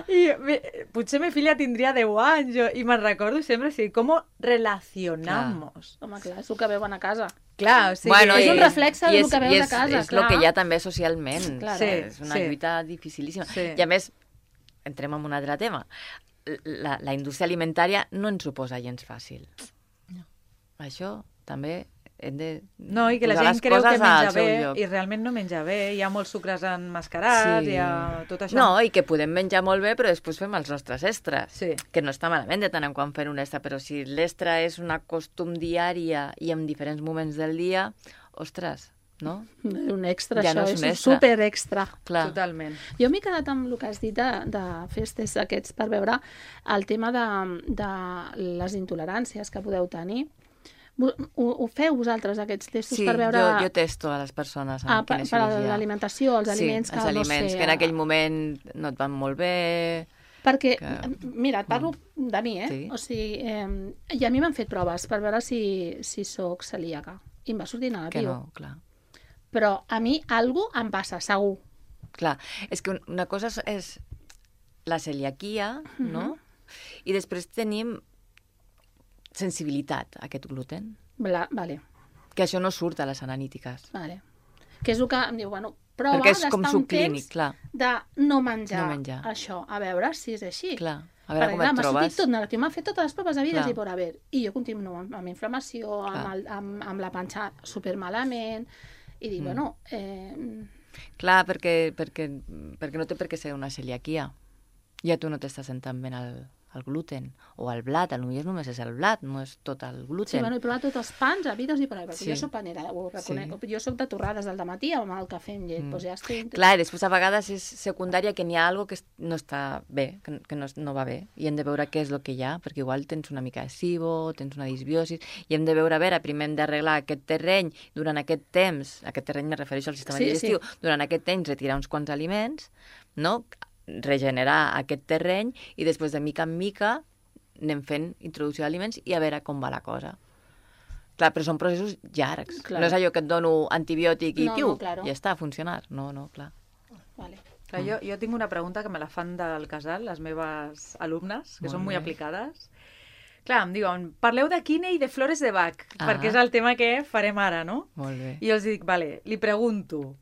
[SPEAKER 1] I me, potser mi filla tindria deu anys jo, i me'n recordo sempre, sí, com relacionamos.
[SPEAKER 3] Home, clar, és el que veuen a casa.
[SPEAKER 1] Clar, o sigui,
[SPEAKER 2] Bueno,
[SPEAKER 3] és
[SPEAKER 2] i-
[SPEAKER 3] un reflexe
[SPEAKER 2] i
[SPEAKER 3] del
[SPEAKER 2] és-
[SPEAKER 3] que veus
[SPEAKER 2] i
[SPEAKER 3] a
[SPEAKER 2] és-
[SPEAKER 3] casa,
[SPEAKER 2] És el
[SPEAKER 3] clar.
[SPEAKER 2] que hi ha també socialment.
[SPEAKER 3] Claro.
[SPEAKER 1] Sí,
[SPEAKER 2] És una
[SPEAKER 1] sí.
[SPEAKER 2] lluita dificilíssima.
[SPEAKER 1] Sí.
[SPEAKER 2] I a més, entrem en un altre tema. La, la indústria alimentària no ens suposa gens fàcil. No. Això també hem de
[SPEAKER 1] No, i que la
[SPEAKER 2] posar
[SPEAKER 1] gent
[SPEAKER 2] les
[SPEAKER 1] creu que
[SPEAKER 2] coses al
[SPEAKER 1] menja
[SPEAKER 2] seu
[SPEAKER 1] bé
[SPEAKER 2] lloc.
[SPEAKER 1] i realment no menja bé. Hi ha molts sucres enmascarats,
[SPEAKER 2] Sí.
[SPEAKER 1] hi ha tot això.
[SPEAKER 2] No, i que podem menjar molt bé, però després fem els nostres extras.
[SPEAKER 1] Sí.
[SPEAKER 2] Que no està malament de tant en quant fer un extra, però si l'extra és una costum diària i en diferents moments del dia, ostres, no?
[SPEAKER 3] Un extra,
[SPEAKER 2] Ja
[SPEAKER 3] això
[SPEAKER 2] no és
[SPEAKER 3] és
[SPEAKER 2] un
[SPEAKER 3] un
[SPEAKER 2] extra.
[SPEAKER 3] super extra.
[SPEAKER 2] Clar.
[SPEAKER 1] Totalment.
[SPEAKER 3] Jo m'he quedat amb el que has dit de, de festes aquests per veure el tema de, de les intoleràncies que podeu tenir. Ho, ho feu vosaltres, aquests testos,
[SPEAKER 2] Sí,
[SPEAKER 3] per veure...
[SPEAKER 2] jo, jo testo a les persones amb
[SPEAKER 3] ah, per,
[SPEAKER 2] quina
[SPEAKER 3] per
[SPEAKER 2] cirurgia.
[SPEAKER 3] l'alimentació, els
[SPEAKER 2] Sí,
[SPEAKER 3] aliments que
[SPEAKER 2] els aliments
[SPEAKER 3] no sé...
[SPEAKER 2] que en aquell moment no et van molt bé...
[SPEAKER 3] Perquè,
[SPEAKER 2] que-
[SPEAKER 3] mira, et parlo de mi, eh?
[SPEAKER 2] Sí.
[SPEAKER 3] O sigui, eh, i a mi m'han fet proves per veure si, si sóc celíaca. I em va sortir
[SPEAKER 2] Que
[SPEAKER 3] negatiu.
[SPEAKER 2] no, clar.
[SPEAKER 3] Però a mi algo em passa, segur.
[SPEAKER 2] Clar, és que un- una cosa és- és la celiaquia, no? I després tenim sensibilitat a aquest gluten,
[SPEAKER 3] Bla, vale,
[SPEAKER 2] que això no surt a les analítiques.
[SPEAKER 3] vale. Que és el que em diu, bueno, prova
[SPEAKER 2] Perquè és
[SPEAKER 3] d'estar
[SPEAKER 2] com
[SPEAKER 3] un
[SPEAKER 2] subclínic,
[SPEAKER 3] temps
[SPEAKER 2] clar.
[SPEAKER 3] de no menjar,
[SPEAKER 2] No menjar.
[SPEAKER 3] això, a veure si és així.
[SPEAKER 2] Clar, a veure
[SPEAKER 3] Perquè,
[SPEAKER 2] com
[SPEAKER 3] clar,
[SPEAKER 2] et
[SPEAKER 3] m'ha
[SPEAKER 2] trobes.
[SPEAKER 3] sortit tot negatiu, m'ha fet totes les proves havides
[SPEAKER 2] Clar.
[SPEAKER 3] i por haver. I jo continuo amb, amb inflamació, amb,
[SPEAKER 2] Clar.
[SPEAKER 3] el, amb, amb la panxa supermalament, i dic,
[SPEAKER 2] Mm.
[SPEAKER 3] bueno, eh,
[SPEAKER 2] Clar, perquè, perquè, perquè no té per què ser una celiaquia. Ja tu no t'estàs sentant ben el, el gluten o el blat, potser només és el blat, no és tot el
[SPEAKER 3] sí,
[SPEAKER 2] gluten.
[SPEAKER 3] bueno, he provat tots els pans, havides i por haver, perquè
[SPEAKER 2] Sí.
[SPEAKER 3] jo soc panera, ho reconec.
[SPEAKER 2] Sí.
[SPEAKER 3] Jo soc de torrades al matí amb el cafè amb llet,
[SPEAKER 2] Mm.
[SPEAKER 3] doncs ja estic...
[SPEAKER 2] Clar, i després a vegades és secundària que n'hi ha algo que es- no està bé, que, que no, es- no va bé, i hem de veure què és el que hi ha, perquè igual tens una mica de SIBO, tens una disbiosis, i hem de veure, a veure, primer hem d'arreglar aquest terreny, durant aquest temps, aquest terreny me refereixo al sistema
[SPEAKER 3] Sí,
[SPEAKER 2] digestiu,
[SPEAKER 3] sí.
[SPEAKER 2] durant aquest temps retirar uns quants aliments, no? Regenerar aquest terreny, i després de mica en mica anem fent introducció d'aliments i a veure com va la cosa. Clar, però són processos llargs.
[SPEAKER 3] Clar.
[SPEAKER 2] No és allò que et dono antibiòtic i
[SPEAKER 3] No,
[SPEAKER 2] piu,
[SPEAKER 3] no, claro.
[SPEAKER 2] ja està a funcionar. No, no, clar.
[SPEAKER 3] Vale.
[SPEAKER 1] Clar, jo, jo tinc una pregunta que me la fan del casal, les meves alumnes, que
[SPEAKER 2] Molt
[SPEAKER 1] són molt
[SPEAKER 2] bé.
[SPEAKER 1] aplicades. Clar, em diuen, parleu de quine i de flores de Bach,
[SPEAKER 2] Ah.
[SPEAKER 1] perquè és el tema que farem ara, no?
[SPEAKER 2] Molt bé.
[SPEAKER 1] I jo els dic, vale, li pregunto,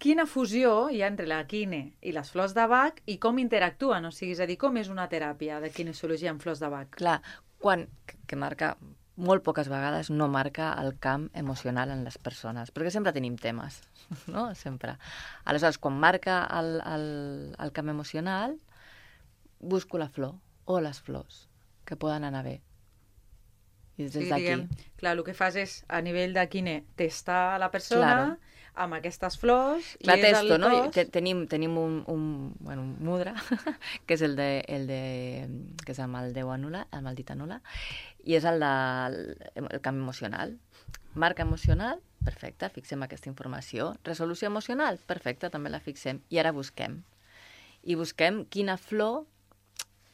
[SPEAKER 1] quina fusió hi ha entre la quine i les flors de Bach i com interactuen? O sigui, és a dir, com és una teràpia de kinesiologia amb flors de Bach?
[SPEAKER 2] Clar, quan, que- que marca, molt poques vegades no marca el camp emocional en les persones, perquè sempre tenim temes, no? Sempre. Aleshores, quan marca el, el, el camp emocional, busco la flor o les flors, que poden anar bé. I
[SPEAKER 1] O
[SPEAKER 2] des
[SPEAKER 1] sigui,
[SPEAKER 2] d'aquí.
[SPEAKER 1] diguem, clar, el que fas és, a nivell de quine, testar la persona,
[SPEAKER 2] Claro.
[SPEAKER 1] amb aquestes flors.
[SPEAKER 2] Clar,
[SPEAKER 1] i és
[SPEAKER 2] testo,
[SPEAKER 1] el
[SPEAKER 2] no?
[SPEAKER 1] cos...
[SPEAKER 2] Te- Tenim, tenim un, un, bueno, un mudra, que és el de, el de, que és amb el Déu anul·la, el maldit anul·la, i és el de el canvi emocional. Marca emocional, perfecte, fixem aquesta informació. Resolució emocional, perfecte, també la fixem. I ara busquem. I busquem quina flor,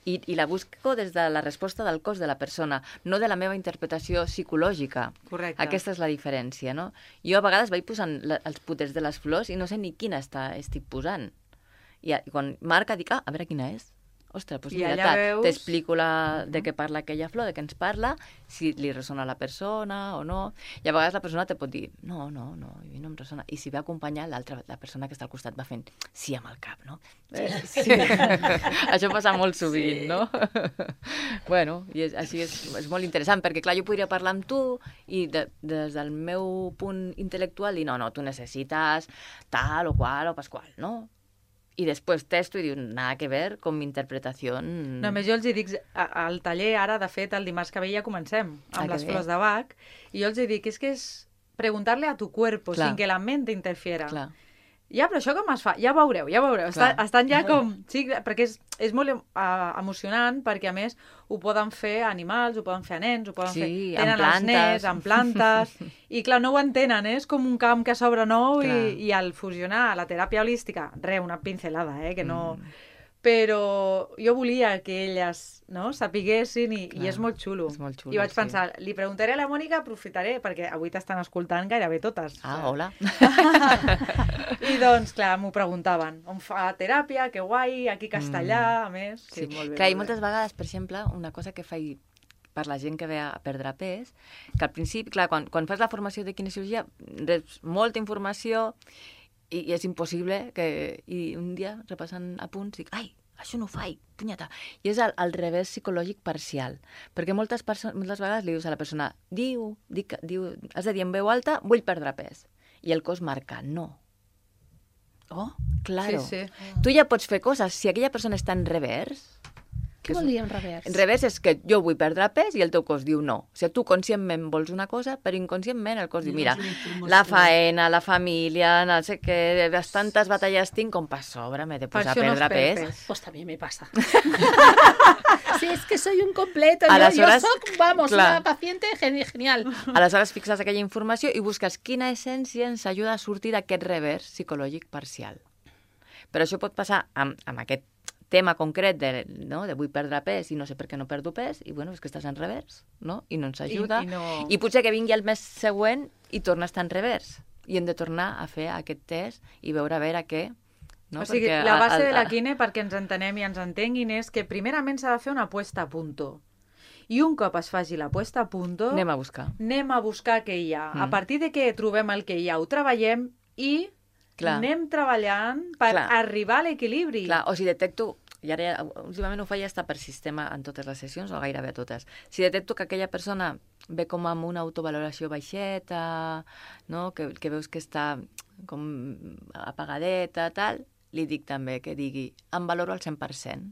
[SPEAKER 2] i, i la busco des de la resposta del cos de la persona, no de la meva interpretació psicològica.
[SPEAKER 1] Correcte.
[SPEAKER 2] Aquesta és la diferència, no? Jo a vegades vaig posant la, els puters de les flors i no sé ni quina està, estic posant. I, a, i quan marca dic, ah, a veure quina és. Ostres, doncs
[SPEAKER 1] I
[SPEAKER 2] mira,
[SPEAKER 1] allà
[SPEAKER 2] tal,
[SPEAKER 1] veus-
[SPEAKER 2] t'explico la, de què parla aquella flor, de què ens parla, si li ressona a la persona o no. I a vegades la persona te pot dir, no, no, no, a mi no em ressona. I si ve acompanyar, l'altra, la persona que està al costat va fent sí amb el cap, no? Sí, sí. sí. Això passa molt sovint, sí. No? Bueno, i és, així és, és molt interessant, perquè clar, jo podria parlar amb tu i de, des del meu punt intel·lectual dir, no, no, tu necessites tal o qual o pasqual, no? I després testo i diu, nada que ver con mi interpretació.
[SPEAKER 1] Només jo els hi dic, a- al taller ara, de fet, el dimarts que ve ja comencem, amb
[SPEAKER 2] Ah, que
[SPEAKER 1] les
[SPEAKER 2] bé.
[SPEAKER 1] flors de Bach, i jo els hi dic, és que és preguntar-le a tu cuerpo,
[SPEAKER 2] Clar.
[SPEAKER 1] sin que la mente interfiera.
[SPEAKER 2] Clar.
[SPEAKER 1] Ja, però això com es fa? Ja veureu, ja veureu. Està,
[SPEAKER 2] Clar.
[SPEAKER 1] estan ja com... Sí, perquè és, és molt uh, emocionant, perquè a més ho poden fer animals, ho poden fer a nens, ho poden
[SPEAKER 2] Sí,
[SPEAKER 1] fer...
[SPEAKER 2] amb
[SPEAKER 1] Tenen els
[SPEAKER 2] plantes.
[SPEAKER 1] nens, amb plantes... I clar, no ho entenen, eh? És com un camp que s'obre nou i,
[SPEAKER 2] Clar.
[SPEAKER 1] i al fusionar la teràpia holística, re, una pincelada, eh? Que no...
[SPEAKER 2] Mm.
[SPEAKER 1] Però jo volia que elles, no?, sapiguessin i, i
[SPEAKER 2] Clar,
[SPEAKER 1] és molt xulo.
[SPEAKER 2] és molt xulo,
[SPEAKER 1] I vaig
[SPEAKER 2] sí.
[SPEAKER 1] pensar, li preguntaré a la Mònica, aprofitaré, perquè avui t'estan escoltant gairebé totes.
[SPEAKER 2] Ah, hola.
[SPEAKER 1] I doncs, clar, m'ho preguntaven. On fa teràpia? Que guai, aquí a Castellà, a més. Sí,
[SPEAKER 2] Sí.
[SPEAKER 1] molt bé.
[SPEAKER 2] Clar, i
[SPEAKER 1] molt bé.
[SPEAKER 2] moltes vegades, per exemple, una cosa que faig per la gent que ve a perdre pes, que al principi, clar, quan, quan fas la formació de kinesiologia, reps molta informació i, i és impossible que... I un dia, repassant apunts, dic, ai, això no ho faig, punyeta. I és el, el revés psicològic parcial. Perquè moltes, moltes vegades li dius a la persona, diu, dic, diu, has de dir en veu alta, vull perdre pes. I el cos marca, no. Oh, claro.
[SPEAKER 1] Sí, sí.
[SPEAKER 2] Tu ja pots fer coses. Si aquella persona està en revers...
[SPEAKER 3] Què vol dir en revers?
[SPEAKER 2] En revés és que jo vull perdre pes i el teu cos diu no. O sigui, tu conscientment vols una cosa, però inconscientment el cos diu, mira, la faena, la família, no sé què, bastantes batalles tinc com per sobre, m'he de
[SPEAKER 1] Per
[SPEAKER 2] posar a
[SPEAKER 1] això no es
[SPEAKER 2] perdre
[SPEAKER 1] perd
[SPEAKER 2] pes.
[SPEAKER 1] pes.
[SPEAKER 3] Pues también me pasa. Sí, es que soy un completo. Yo,
[SPEAKER 2] Aleshores,
[SPEAKER 3] yo soy, vamos,
[SPEAKER 2] clar.
[SPEAKER 3] una paciente geni- genial.
[SPEAKER 2] Aleshores fixes aquella informació i busques quina essència ens ajuda a sortir d'aquest revers psicològic parcial. Però això pot passar amb, amb aquest tema concret de, no, de vull perdre pes i no sé per què no perdo pes, i bueno, és que estàs en revers, no? I no ens ajuda.
[SPEAKER 1] I, i, no...
[SPEAKER 2] I potser que vingui el mes següent i torna a estar en revers. I hem de tornar a fer aquest test i veure a veure què... No?
[SPEAKER 1] O sigui,
[SPEAKER 2] Perquè
[SPEAKER 1] la
[SPEAKER 2] a-
[SPEAKER 1] base
[SPEAKER 2] a-
[SPEAKER 1] de la
[SPEAKER 2] a-
[SPEAKER 1] quine, perquè ens entenem i ens entenguin, és que primerament s'ha de fer una puesta a punto. I un cop es faci la puesta a punto,
[SPEAKER 2] Anem a buscar.
[SPEAKER 1] anem a buscar què hi ha.
[SPEAKER 2] Mm.
[SPEAKER 1] A partir de que trobem el que hi ha, ho treballem i
[SPEAKER 2] Clar.
[SPEAKER 1] anem treballant per
[SPEAKER 2] Clar.
[SPEAKER 1] arribar a l'equilibri.
[SPEAKER 2] Clar, o si detecto, i ara ja, últimament ho faig ja per sistema en totes les sessions, o gairebé totes, si detecto que aquella persona ve com amb una autovaloració baixeta, no? que, que veus que està com apagadeta, tal, li dic també que digui, em valoro al cent per cent.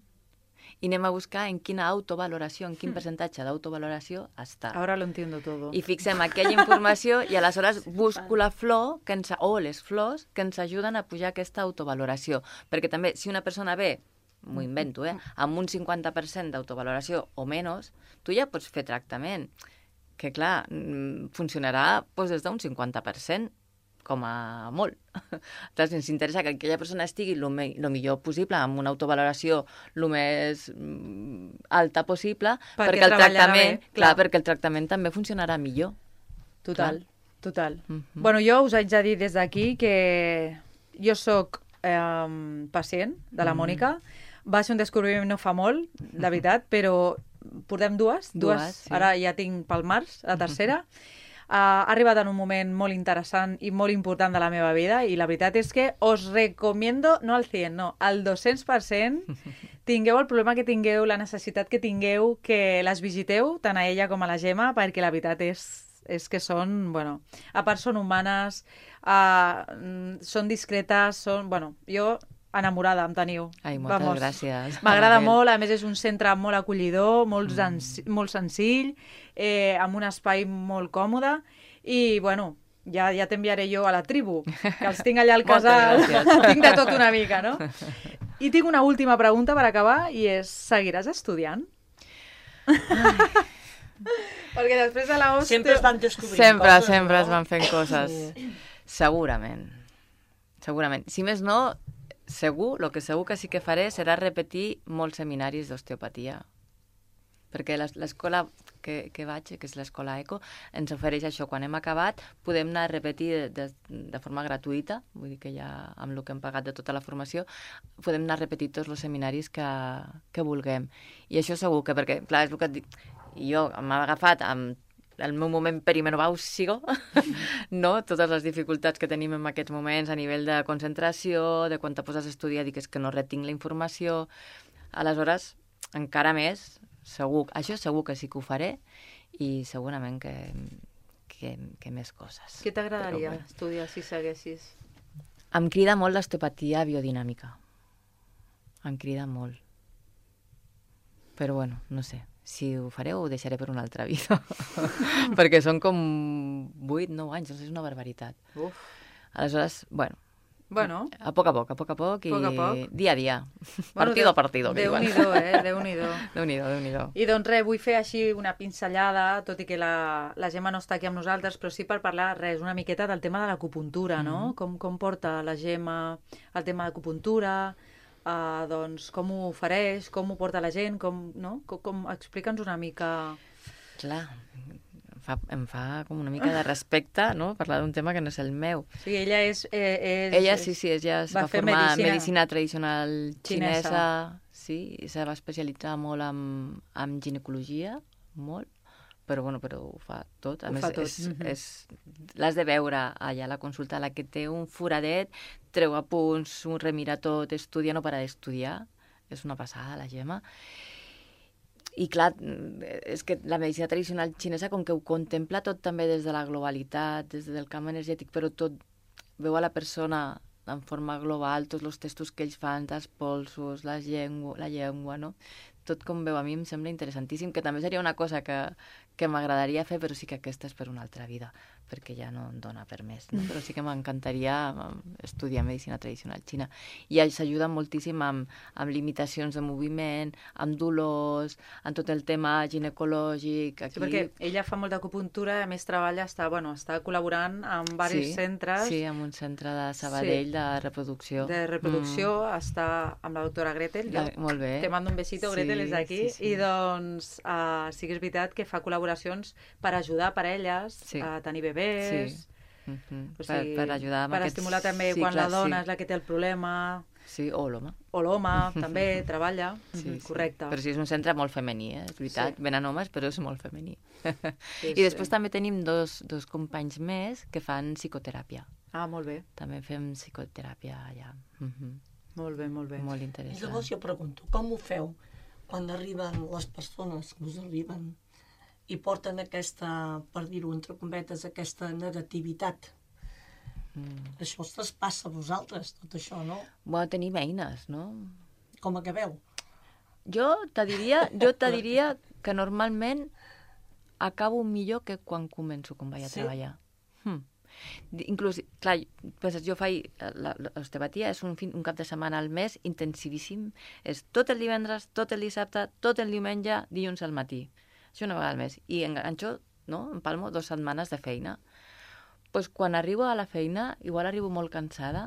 [SPEAKER 2] I anem a buscar en quina autovaloració, en quin percentatge d'autovaloració està.
[SPEAKER 1] Ahora lo entiendo todo.
[SPEAKER 2] I fixem aquella informació i aleshores busco la flor que ens, o les flors que ens ajuden a pujar aquesta autovaloració. Perquè també, si una persona ve, m'ho invento, eh, amb un cinquanta per cent d'autovaloració o menys, tu ja pots fer tractament, que clar, mm, funcionarà doncs, des d'un cinquanta per cent, com a molt. Llavors, ens interessa que aquella persona estigui el me, lo millor possible, amb una autovaloració el més mm, alta possible,
[SPEAKER 1] Perquè
[SPEAKER 2] perquè, el
[SPEAKER 1] treballarà
[SPEAKER 2] tractament,
[SPEAKER 1] bé,
[SPEAKER 2] clar,
[SPEAKER 1] clar.
[SPEAKER 2] perquè el tractament també funcionarà millor.
[SPEAKER 1] Total, total.
[SPEAKER 2] Mhm.
[SPEAKER 1] Bueno, jo us haig de dir des d'aquí que jo sóc eh, pacient de la
[SPEAKER 2] Mm.
[SPEAKER 1] Mònica. Va ser un descobriment no fa molt, de veritat, però portem dues.
[SPEAKER 2] Dues, sí.
[SPEAKER 1] Ara ja tinc pel març, la tercera. Uh, ha arribat en un moment molt interessant i molt important de la meva vida i la veritat és que us recomiendo, no al cent, no, al dos-cents per cent, tingueu el problema que tingueu, la necessitat que tingueu, que les visiteu, tant a ella com a la Gemma, perquè la veritat és, és que són, bueno, a part són humanes, uh, són discretes, són, bueno, jo enamorada em teniu.
[SPEAKER 2] Ai, moltes
[SPEAKER 1] Vamos.
[SPEAKER 2] gràcies.
[SPEAKER 1] M'agrada
[SPEAKER 2] Anabel.
[SPEAKER 1] molt, a més és un centre molt acollidor, molt, mm. molt senzill, eh, amb un espai molt còmode i, bueno, ja, ja t'enviaré jo a la tribu, que els tinc allà al
[SPEAKER 2] Moltes
[SPEAKER 1] casal,
[SPEAKER 2] gràcies.
[SPEAKER 1] tinc de tot una mica, no? I tinc una última pregunta per acabar, i és, seguiràs estudiant? Perquè després de la O S T...
[SPEAKER 4] Sempre es van descobrint
[SPEAKER 2] Sempre,
[SPEAKER 4] coses,
[SPEAKER 2] sempre
[SPEAKER 4] no?
[SPEAKER 2] es van fent coses. Segurament. Segurament. Si més no, segur, el que segur que sí que faré serà repetir molts seminaris d'osteopatia. Perquè l'es- l'escola que, que vaig, que és l'escola ECO, ens ofereix això. Quan hem acabat, podem anar a repetir de, de, de forma gratuïta, vull dir que ja amb el que hem pagat de tota la formació, podem anar a repetir tots els seminaris que, que vulguem. I això segur que, perquè, clar, és el que et dic, jo m'ha agafat amb el meu moment perimenopàusico, no? Totes les dificultats que tenim en aquests moments a nivell de concentració, de quan te poses a estudiar, dic és que no retinc la informació. Aleshores, encara més, segur, això segur que sí que ho faré i segurament que, que, que més coses.
[SPEAKER 1] Què t'agradaria
[SPEAKER 2] Però, bueno,
[SPEAKER 1] estudiar si seguessis?
[SPEAKER 2] em crida molt l'osteopatia biodinàmica. Em crida molt. Però bueno, no sé. Si ho faré ho deixaré per una altra vida. Perquè són com vuit, nou anys, doncs és una barbaritat.
[SPEAKER 1] Uf.
[SPEAKER 2] Aleshores, bueno,
[SPEAKER 1] Bueno,
[SPEAKER 2] a poc a poc, a poc a poc i
[SPEAKER 1] Poc a poc.
[SPEAKER 2] dia a dia.
[SPEAKER 1] bueno,
[SPEAKER 2] Partido a partido, que diuen.
[SPEAKER 1] Déu-n'hi-do, eh? Déu-n'hi-do.
[SPEAKER 2] Déu-n'hi-do, Déu-n'hi-do.
[SPEAKER 1] I doncs res, vull fer així una pinzellada, tot i que la, la Gemma no està aquí amb nosaltres, però sí per parlar res, una miqueta del tema de l'acupuntura, no?
[SPEAKER 2] Mm-hmm.
[SPEAKER 1] Com, com porta la Gemma el tema d'acupuntura, uh, doncs com ho ofereix, com ho porta la gent, com, no? Com, com, explica'ns una mica...
[SPEAKER 2] Clar, em fa, em fa com una mica de respecte, no?, parlar d'un tema que no és el meu.
[SPEAKER 1] O sigui, ella és... Eh, és
[SPEAKER 2] Ella, sí, sí, ella es
[SPEAKER 1] va
[SPEAKER 2] va,
[SPEAKER 1] fer
[SPEAKER 2] formar en
[SPEAKER 1] medicina
[SPEAKER 2] medicina tradicional
[SPEAKER 1] xinesa.
[SPEAKER 2] xinesa, sí, i se va especialitzar molt en, en ginecologia, molt, però, bueno, però ho fa tot. A
[SPEAKER 1] Ho
[SPEAKER 2] més,
[SPEAKER 1] fa tot,
[SPEAKER 2] és,
[SPEAKER 1] mhm.
[SPEAKER 2] és, l'has de veure allà a la consulta, la que té un foradet, treu apunts, un remira tot, estudia, no para d'estudiar. És una passada, la Gemma. I clar, és que la medicina tradicional xinesa, com que ho contempla tot també des de la globalitat, des del camp energètic, però tot veu a la persona en forma global, tots els testos que ells fan, els polsos, la llengua, la llengua, no? Tot com veu a mi em sembla interessantíssim, que també seria una cosa que, que m'agradaria fer, però sí que aquesta és per una altra vida, perquè ja no em dona per més, no? Però sí que m'encantaria estudiar medicina tradicional xina. I s'ajuda moltíssim amb, amb limitacions de moviment, amb dolors, amb tot el tema ginecològic. Aquí...
[SPEAKER 1] Sí, perquè ella fa molt d'acupuntura, a més treballa, està, bueno, està col·laborant amb diversos
[SPEAKER 2] sí,
[SPEAKER 1] centres.
[SPEAKER 2] Sí, amb un centre de Sabadell, sí, de reproducció.
[SPEAKER 1] De reproducció, mm. està amb la doctora Gretel.
[SPEAKER 2] La, molt bé.
[SPEAKER 1] Te mando un besito, Gretel,
[SPEAKER 2] sí,
[SPEAKER 1] des d'aquí.
[SPEAKER 2] Sí, sí.
[SPEAKER 1] I doncs uh, sí que és veritat que fa col·laboracions per ajudar parelles
[SPEAKER 2] sí.
[SPEAKER 1] a tenir bebès.
[SPEAKER 2] Sí. Mm-hmm.
[SPEAKER 1] O sigui,
[SPEAKER 2] per, per ajudar amb
[SPEAKER 1] per
[SPEAKER 2] aquests
[SPEAKER 1] estimular també
[SPEAKER 2] cicles,
[SPEAKER 1] quan la dona
[SPEAKER 2] sí.
[SPEAKER 1] és la que té el problema.
[SPEAKER 2] Sí, o l'home.
[SPEAKER 1] O l'home també treballa.
[SPEAKER 2] Sí,
[SPEAKER 1] mm-hmm.
[SPEAKER 2] sí.
[SPEAKER 1] Correcte.
[SPEAKER 2] Però sí, és un centre molt femení, eh? És veritat.
[SPEAKER 1] Sí.
[SPEAKER 2] Venen homes, però és molt femení.
[SPEAKER 1] Sí,
[SPEAKER 2] I després
[SPEAKER 1] sí.
[SPEAKER 2] també tenim dos, dos companys més que fan psicoteràpia.
[SPEAKER 1] Ah, molt bé.
[SPEAKER 2] També fem psicoteràpia allà. Mm-hmm.
[SPEAKER 1] Molt bé, molt bé.
[SPEAKER 2] Molt
[SPEAKER 4] I
[SPEAKER 2] interessant.
[SPEAKER 4] llavors jo pregunto, com ho feu quan arriben les persones que us arriben i porten aquesta, per dir-ho entre cometes, aquesta negativitat?
[SPEAKER 2] Mm.
[SPEAKER 4] Això us traspassa a vosaltres, tot això, no?
[SPEAKER 2] Bueno, tenim eines, no?
[SPEAKER 4] Com acabeu?
[SPEAKER 2] Jo te diria, jo te diria que normalment acabo millor que quan començo, quan vaig a
[SPEAKER 4] Sí?
[SPEAKER 2] treballar. Hm. Inclús, clar, pues jo faig, l'osteopatia és un, fin, un cap de setmana al mes intensivíssim, és tot el divendres, tot el dissabte, tot el diumenge, dilluns al matí. Això una vegada al mes. I enganxo, no?, empalmo dues setmanes de feina. Pues quan arribo a la feina, igual arribo molt cansada,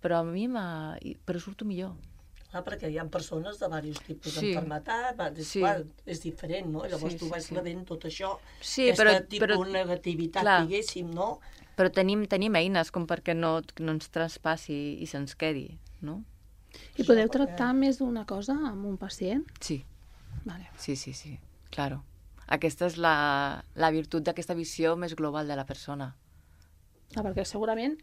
[SPEAKER 2] però a mi m'ha... però surto millor.
[SPEAKER 4] Clar, perquè hi ha persones de diversos tipus
[SPEAKER 2] Sí.
[SPEAKER 4] d'enfermetat, va, és,
[SPEAKER 2] Sí.
[SPEAKER 4] clar, és diferent, no? Llavors
[SPEAKER 2] Sí,
[SPEAKER 4] tu
[SPEAKER 2] sí,
[SPEAKER 4] vas
[SPEAKER 2] sí.
[SPEAKER 4] rebent tot això,
[SPEAKER 2] Sí,
[SPEAKER 4] aquesta
[SPEAKER 2] però-
[SPEAKER 4] tipus
[SPEAKER 2] però-
[SPEAKER 4] de negativitat,
[SPEAKER 2] clar.
[SPEAKER 4] diguéssim, no?
[SPEAKER 2] Però tenim, tenim eines com perquè no, no ens traspassi i se'ns quedi, no?
[SPEAKER 3] I podeu tractar més d'una cosa amb un pacient?
[SPEAKER 2] Sí,
[SPEAKER 3] Vale.
[SPEAKER 2] sí, sí, sí, claro. Aquesta és la, la virtut d'aquesta visió més global de la persona.
[SPEAKER 3] Ah, perquè segurament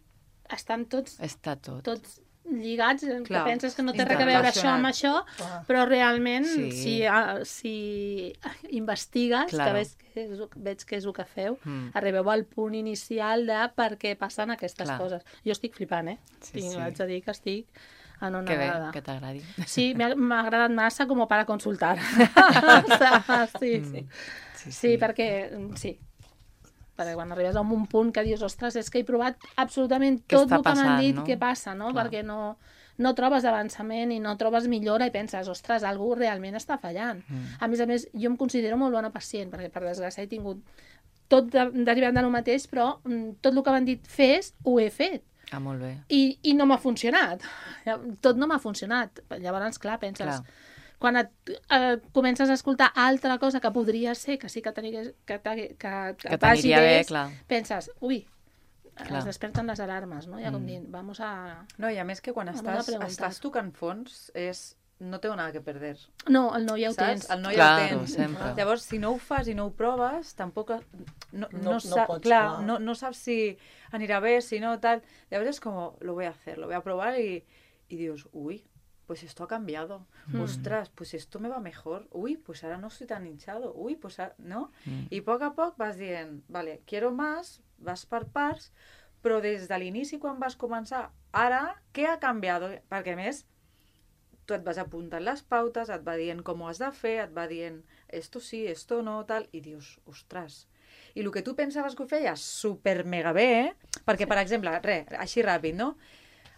[SPEAKER 3] estan tots,
[SPEAKER 2] Està tot.
[SPEAKER 3] tots lligats,
[SPEAKER 1] Clar,
[SPEAKER 3] que penses que no té res a veure això amb això,
[SPEAKER 4] Clar.
[SPEAKER 3] però realment,
[SPEAKER 2] Sí.
[SPEAKER 3] si, ah, si investigues,
[SPEAKER 2] Claro.
[SPEAKER 3] que veig que, és, veig que és el que feu,
[SPEAKER 2] Mm.
[SPEAKER 3] arribeu al punt inicial de per què passen aquestes
[SPEAKER 2] Clar.
[SPEAKER 3] coses. Jo estic flipant, eh?
[SPEAKER 2] Sí,
[SPEAKER 3] Tinc,
[SPEAKER 2] sí.
[SPEAKER 3] Haig de dir que estic en
[SPEAKER 2] Que bé,
[SPEAKER 3] una
[SPEAKER 2] que t'agradi.
[SPEAKER 3] Sí, m'ha m'ha agradat massa com para consultar. sí, sí.
[SPEAKER 2] Sí,
[SPEAKER 3] Sí, perquè... Sí. perquè quan arribes a un punt que dius, ostres, és que he provat absolutament
[SPEAKER 2] Què
[SPEAKER 3] tot
[SPEAKER 2] està
[SPEAKER 3] el que m'han
[SPEAKER 2] passant,
[SPEAKER 3] dit,
[SPEAKER 2] no?
[SPEAKER 3] què passa, no?
[SPEAKER 2] Clar.
[SPEAKER 3] Perquè no, no trobes avançament i no trobes millora i penses, ostres, algú realment està fallant.
[SPEAKER 2] Mm.
[SPEAKER 3] A més a més, jo em considero molt bona pacient, perquè per desgràcia he tingut tot de, derivant del mateix, però mm, tot el que m'han dit fes, ho he fet.
[SPEAKER 2] Ah, molt bé.
[SPEAKER 3] I, i no m'ha funcionat. Tot no m'ha funcionat. Llavors, clar, penses...
[SPEAKER 2] Clar.
[SPEAKER 3] Quan et, eh, comences a escoltar altra cosa que podria ser, que sí que t'anigués, que, que, que,
[SPEAKER 2] Que t'aniria bé, clar.
[SPEAKER 3] penses, ui,
[SPEAKER 2] Clar.
[SPEAKER 3] es desperten les alarmes, no? Ja com
[SPEAKER 2] Mm.
[SPEAKER 3] dient, vamos a...
[SPEAKER 1] No, i a més que quan
[SPEAKER 3] Vamos a
[SPEAKER 1] estàs,
[SPEAKER 3] preguntar.
[SPEAKER 1] estàs tocant fons és... No tengo nada que perder,
[SPEAKER 3] No, el no ja ho
[SPEAKER 1] saps?
[SPEAKER 3] tens.
[SPEAKER 1] El no ja
[SPEAKER 2] Claro,
[SPEAKER 1] ho tens.
[SPEAKER 2] sempre.
[SPEAKER 1] Llavors, si no ho fas i no ho proves, tampoc... No, no,
[SPEAKER 4] No- no
[SPEAKER 1] sa-
[SPEAKER 4] pots,
[SPEAKER 1] clar,
[SPEAKER 4] clar.
[SPEAKER 1] no, no saps si anirà bé, si no, tal. Llavors és com, lo voy a hacer, lo voy a probar y, y dius, uy, pues esto ha cambiado.
[SPEAKER 3] Mm.
[SPEAKER 1] Ostras, pues esto me va mejor. Uy, pues ahora no estoy tan hinchado. Uy, pues ahora... ¿No?
[SPEAKER 2] Mm.
[SPEAKER 1] I a poc a poc vas dient, vale, quiero más, vas per parts, però des de l'inici, quan vas començar, ara, què ha canviat? Perquè, a més, tu et vas apuntant les pautes, et va dient com ho has de fer, et va dient esto sí, esto no, tal, i dius, ostres. I el que tu pensaves que ho feies super mega bé, eh? Perquè, per exemple, res, així ràpid, no?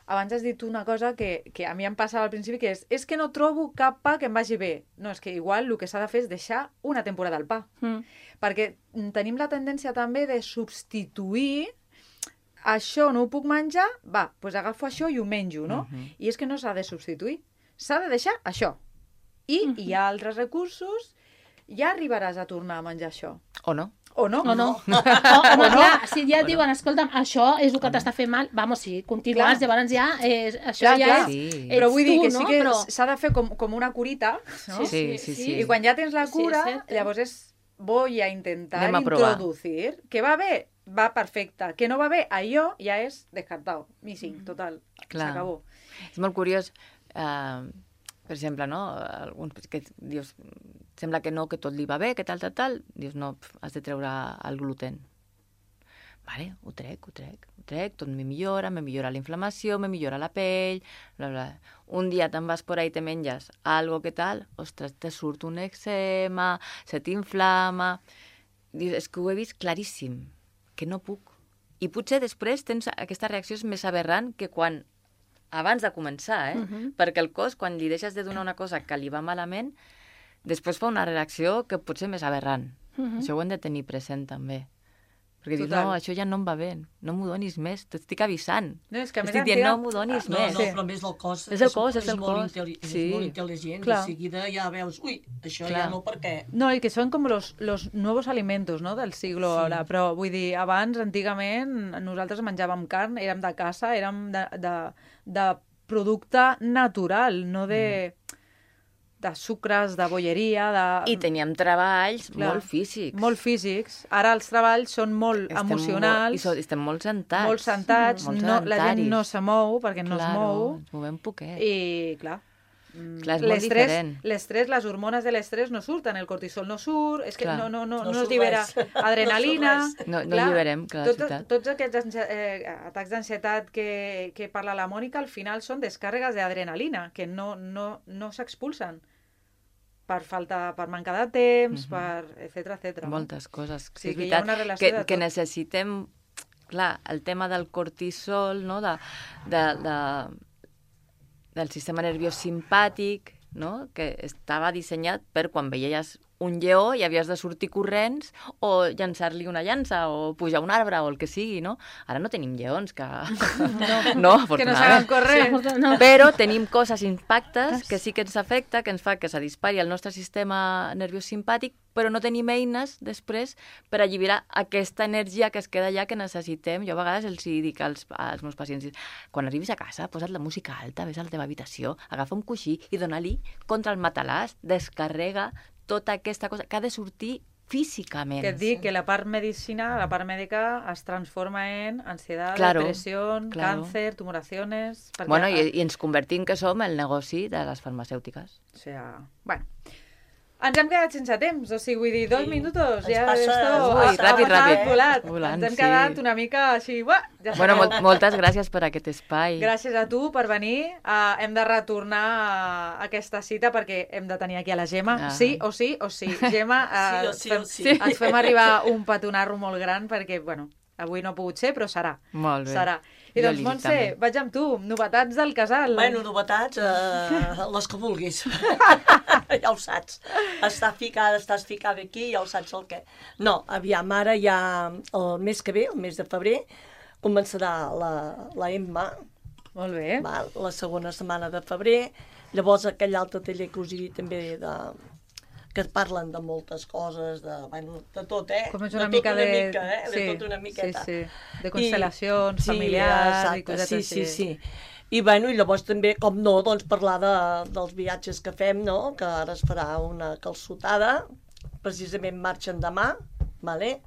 [SPEAKER 1] Abans has dit una cosa que, que a mi em passava al principi, que és, és que no trobo cap pa que em vagi bé. No, és que igual el que s'ha de fer és deixar una temporada al pa.
[SPEAKER 3] Mm.
[SPEAKER 1] Perquè tenim la tendència també de substituir això no ho puc menjar, va, doncs agafo això i ho menjo, no?
[SPEAKER 2] Mhm.
[SPEAKER 1] I és que no s'ha de substituir, s'ha de deixar això. I
[SPEAKER 3] Mhm.
[SPEAKER 1] hi ha altres recursos, ja arribaràs a tornar a menjar això.
[SPEAKER 2] O no?
[SPEAKER 1] O no?
[SPEAKER 3] O no. O, home,
[SPEAKER 1] no.
[SPEAKER 3] clar, si ja et diuen, escolta'm, això és el que t'està fent mal, vamos, si continues,
[SPEAKER 1] Clar.
[SPEAKER 3] llavors ja, és, això
[SPEAKER 1] Clar,
[SPEAKER 3] ja
[SPEAKER 1] clar.
[SPEAKER 3] és...
[SPEAKER 2] Sí.
[SPEAKER 1] Però vull dir
[SPEAKER 3] tu,
[SPEAKER 1] que
[SPEAKER 3] no?
[SPEAKER 1] sí que
[SPEAKER 3] Però-
[SPEAKER 1] s'ha de fer com, com una curita, no?
[SPEAKER 2] Sí, sí, sí.
[SPEAKER 1] I quan ja tens la
[SPEAKER 3] Sí,
[SPEAKER 1] cura,
[SPEAKER 3] és cert, eh?
[SPEAKER 1] llavors és voy a intentar
[SPEAKER 2] Anem a provar.
[SPEAKER 1] introducir. Que va bé, va perfecte. Que no va bé, allò ja és descartado. Missing, total.
[SPEAKER 2] Clar.
[SPEAKER 1] S'acabó.
[SPEAKER 2] És molt curiós, eh, per exemple, no? Alguns que dius, sembla que no, que tot li va bé, que tal, tal, tal. Dius, no, pf, has de treure el gluten. Vale, ho trec, ho trec, ho trec, tot me millora, me millora la inflamació, me millora la pell, bla, bla. Un dia te'n vas por ahí i te menges algo que tal, ostres, te surt un eczema, se t'inflama... Dius, és que ho he vist claríssim, que no puc. I potser després tens aquesta reacció és més aberrant que quan abans de començar, eh?
[SPEAKER 3] Mhm.
[SPEAKER 2] Perquè el cos, quan li deixes de donar una cosa que li va malament, després fa una reacció que pot ser més aberrant.
[SPEAKER 3] Mhm.
[SPEAKER 2] Això ho hem de tenir present, també. Perquè dius,
[SPEAKER 1] Total.
[SPEAKER 2] no, això ja no em va bé, no m'ho donis més, t'estic avisant.
[SPEAKER 1] No, és que a més
[SPEAKER 2] Estic dient,
[SPEAKER 1] antiga-
[SPEAKER 2] no m'ho donis
[SPEAKER 4] No,
[SPEAKER 2] més.
[SPEAKER 4] no,
[SPEAKER 1] Sí.
[SPEAKER 4] però a més el cos
[SPEAKER 2] És el cos, és el
[SPEAKER 4] molt
[SPEAKER 2] cos.
[SPEAKER 4] intel·li- és
[SPEAKER 2] Sí.
[SPEAKER 4] molt intel·ligent.
[SPEAKER 1] Clar.
[SPEAKER 4] De seguida ja veus, ui, això
[SPEAKER 2] Clar.
[SPEAKER 4] ja no, perquè...
[SPEAKER 1] No, y que son como los, los nuevos alimentos, no?, del siglo
[SPEAKER 4] Sí.
[SPEAKER 1] ara. Però, vull dir, abans, antigament, nosaltres menjàvem carn, érem de casa, érem de, de, de producte natural, no de, de sucres, de bolleria, de...
[SPEAKER 2] I teníem treballs
[SPEAKER 1] Clar.
[SPEAKER 2] molt físics.
[SPEAKER 1] molt físics. Ara els treballs són molt
[SPEAKER 2] Estem
[SPEAKER 1] emocionals,
[SPEAKER 2] Molt, i so, estem molt sentats.
[SPEAKER 1] molt sentats,
[SPEAKER 2] Molt
[SPEAKER 1] no, la gent
[SPEAKER 2] sedentaris.
[SPEAKER 1] no se mou perquè no es mou.
[SPEAKER 2] Ens movem poquet.
[SPEAKER 1] I, clar, mm,
[SPEAKER 2] Clar, és molt
[SPEAKER 1] l'estrès,
[SPEAKER 2] diferent.
[SPEAKER 1] l'estrès, les hormones de l'estrès no surten, el cortisol no surt, és que
[SPEAKER 2] Clar.
[SPEAKER 1] no, no, no,
[SPEAKER 4] No
[SPEAKER 1] no, es
[SPEAKER 4] surt
[SPEAKER 1] llibera
[SPEAKER 4] res.
[SPEAKER 1] adrenalina.
[SPEAKER 4] No surt res.
[SPEAKER 2] No, no alliberem, clar, la
[SPEAKER 1] tots,
[SPEAKER 2] ciutat.
[SPEAKER 1] tots aquests ansia- eh, atacs d'ansietat que, que parla la Mònica, al final són descàrregues d'adrenalina, que no, no, no s'expulsen per falta, per manca de temps,
[SPEAKER 2] Mhm.
[SPEAKER 1] per etcètera, etcètera. no?
[SPEAKER 2] Moltes coses.
[SPEAKER 1] Sí,
[SPEAKER 2] és
[SPEAKER 1] que hi ha
[SPEAKER 2] veritat
[SPEAKER 1] una relació
[SPEAKER 2] que,
[SPEAKER 1] de
[SPEAKER 2] que
[SPEAKER 1] tot.
[SPEAKER 2] necessitem, clar, el tema del cortisol, no? de, de, de, del sistema nerviós simpàtic, no? Que estava dissenyat per quan veies un lleó i havies de sortir corrents o llançar-li una llança o pujar a un arbre o el que sigui, no? Ara no tenim lleons que... No, no
[SPEAKER 1] Que no saben
[SPEAKER 2] afortunadament.
[SPEAKER 1] córrer.
[SPEAKER 3] No.
[SPEAKER 2] Però tenim coses impactes que sí que ens afecta, que ens fa que se dispari el nostre sistema nerviós simpàtic, però no tenim eines després per alliberar aquesta energia que es queda allà que necessitem. Jo a vegades els hi dic als, als meus pacients, quan arribis a casa, posa't la música alta, ves a la teva habitació, agafa un coixí i dona-li contra el matalàs, descarrega tota aquesta cosa que ha de sortir físicament.
[SPEAKER 1] Que et dic que la part medicina, la part mèdica, es transforma en ansietat,
[SPEAKER 2] Claro,
[SPEAKER 1] depressió,
[SPEAKER 2] claro.
[SPEAKER 1] càncer, tumoraciones... Perquè,
[SPEAKER 2] Bueno, i, i ens convertim que som el negoci de les farmacèutiques.
[SPEAKER 1] O sea, bueno, Ens hem quedat sense temps, o sigui, vull dir, dos
[SPEAKER 4] Sí.
[SPEAKER 1] minutos,
[SPEAKER 4] Ens
[SPEAKER 1] ja
[SPEAKER 4] passa-
[SPEAKER 1] esto
[SPEAKER 2] Ui,
[SPEAKER 1] ha- ha
[SPEAKER 2] ràpid,
[SPEAKER 1] passat
[SPEAKER 2] ràpid.
[SPEAKER 1] volat.
[SPEAKER 2] Volant,
[SPEAKER 1] Ens hem
[SPEAKER 2] sí.
[SPEAKER 1] quedat una mica així, uah, ja
[SPEAKER 2] Bueno,
[SPEAKER 1] sabeu.
[SPEAKER 2] mol moltes gràcies per aquest espai.
[SPEAKER 1] Gràcies a tu per venir. Uh, hem de retornar a aquesta cita perquè hem de tenir aquí a la Gemma.
[SPEAKER 2] Ah.
[SPEAKER 1] Sí o sí o sí. Gemma, uh,
[SPEAKER 4] Sí o sí o
[SPEAKER 1] fem,
[SPEAKER 4] sí.
[SPEAKER 1] et fem arribar un petonarro molt gran perquè, bueno, avui no ha pogut ser, però serà.
[SPEAKER 2] Molt bé.
[SPEAKER 1] Serà. I
[SPEAKER 2] Jo
[SPEAKER 1] doncs,
[SPEAKER 2] li dic
[SPEAKER 1] Montse,
[SPEAKER 2] també.
[SPEAKER 1] vaig amb tu. Novetats del casal.
[SPEAKER 4] Bueno, novetats, eh, les que vulguis. Ja ho saps. Està ficada, estàs ficada aquí, ja ho saps el què. No, aviam, ara ja el mes que ve, el mes de febrer, començarà la, la Emma,
[SPEAKER 1] Molt bé.
[SPEAKER 4] val? La segona setmana de febrer. Llavors aquell altre taller que us he dit també de, que parlen de moltes coses, de, bueno, de tot, eh?
[SPEAKER 1] Com és
[SPEAKER 4] de
[SPEAKER 1] una
[SPEAKER 4] tot
[SPEAKER 1] mica
[SPEAKER 4] una
[SPEAKER 1] de...
[SPEAKER 4] mica, eh?
[SPEAKER 1] sí,
[SPEAKER 4] De tot una miqueta.
[SPEAKER 1] Sí, sí. De constel·lacions
[SPEAKER 4] I-
[SPEAKER 1] familiars
[SPEAKER 4] sí,
[SPEAKER 1] i cosetes
[SPEAKER 4] sí,
[SPEAKER 1] així.
[SPEAKER 4] sí, sí. I, bueno, i llavors també, com no, doncs parlar de, dels viatges que fem, no? Que ara es farà una calçotada, precisament marxen demà, vale?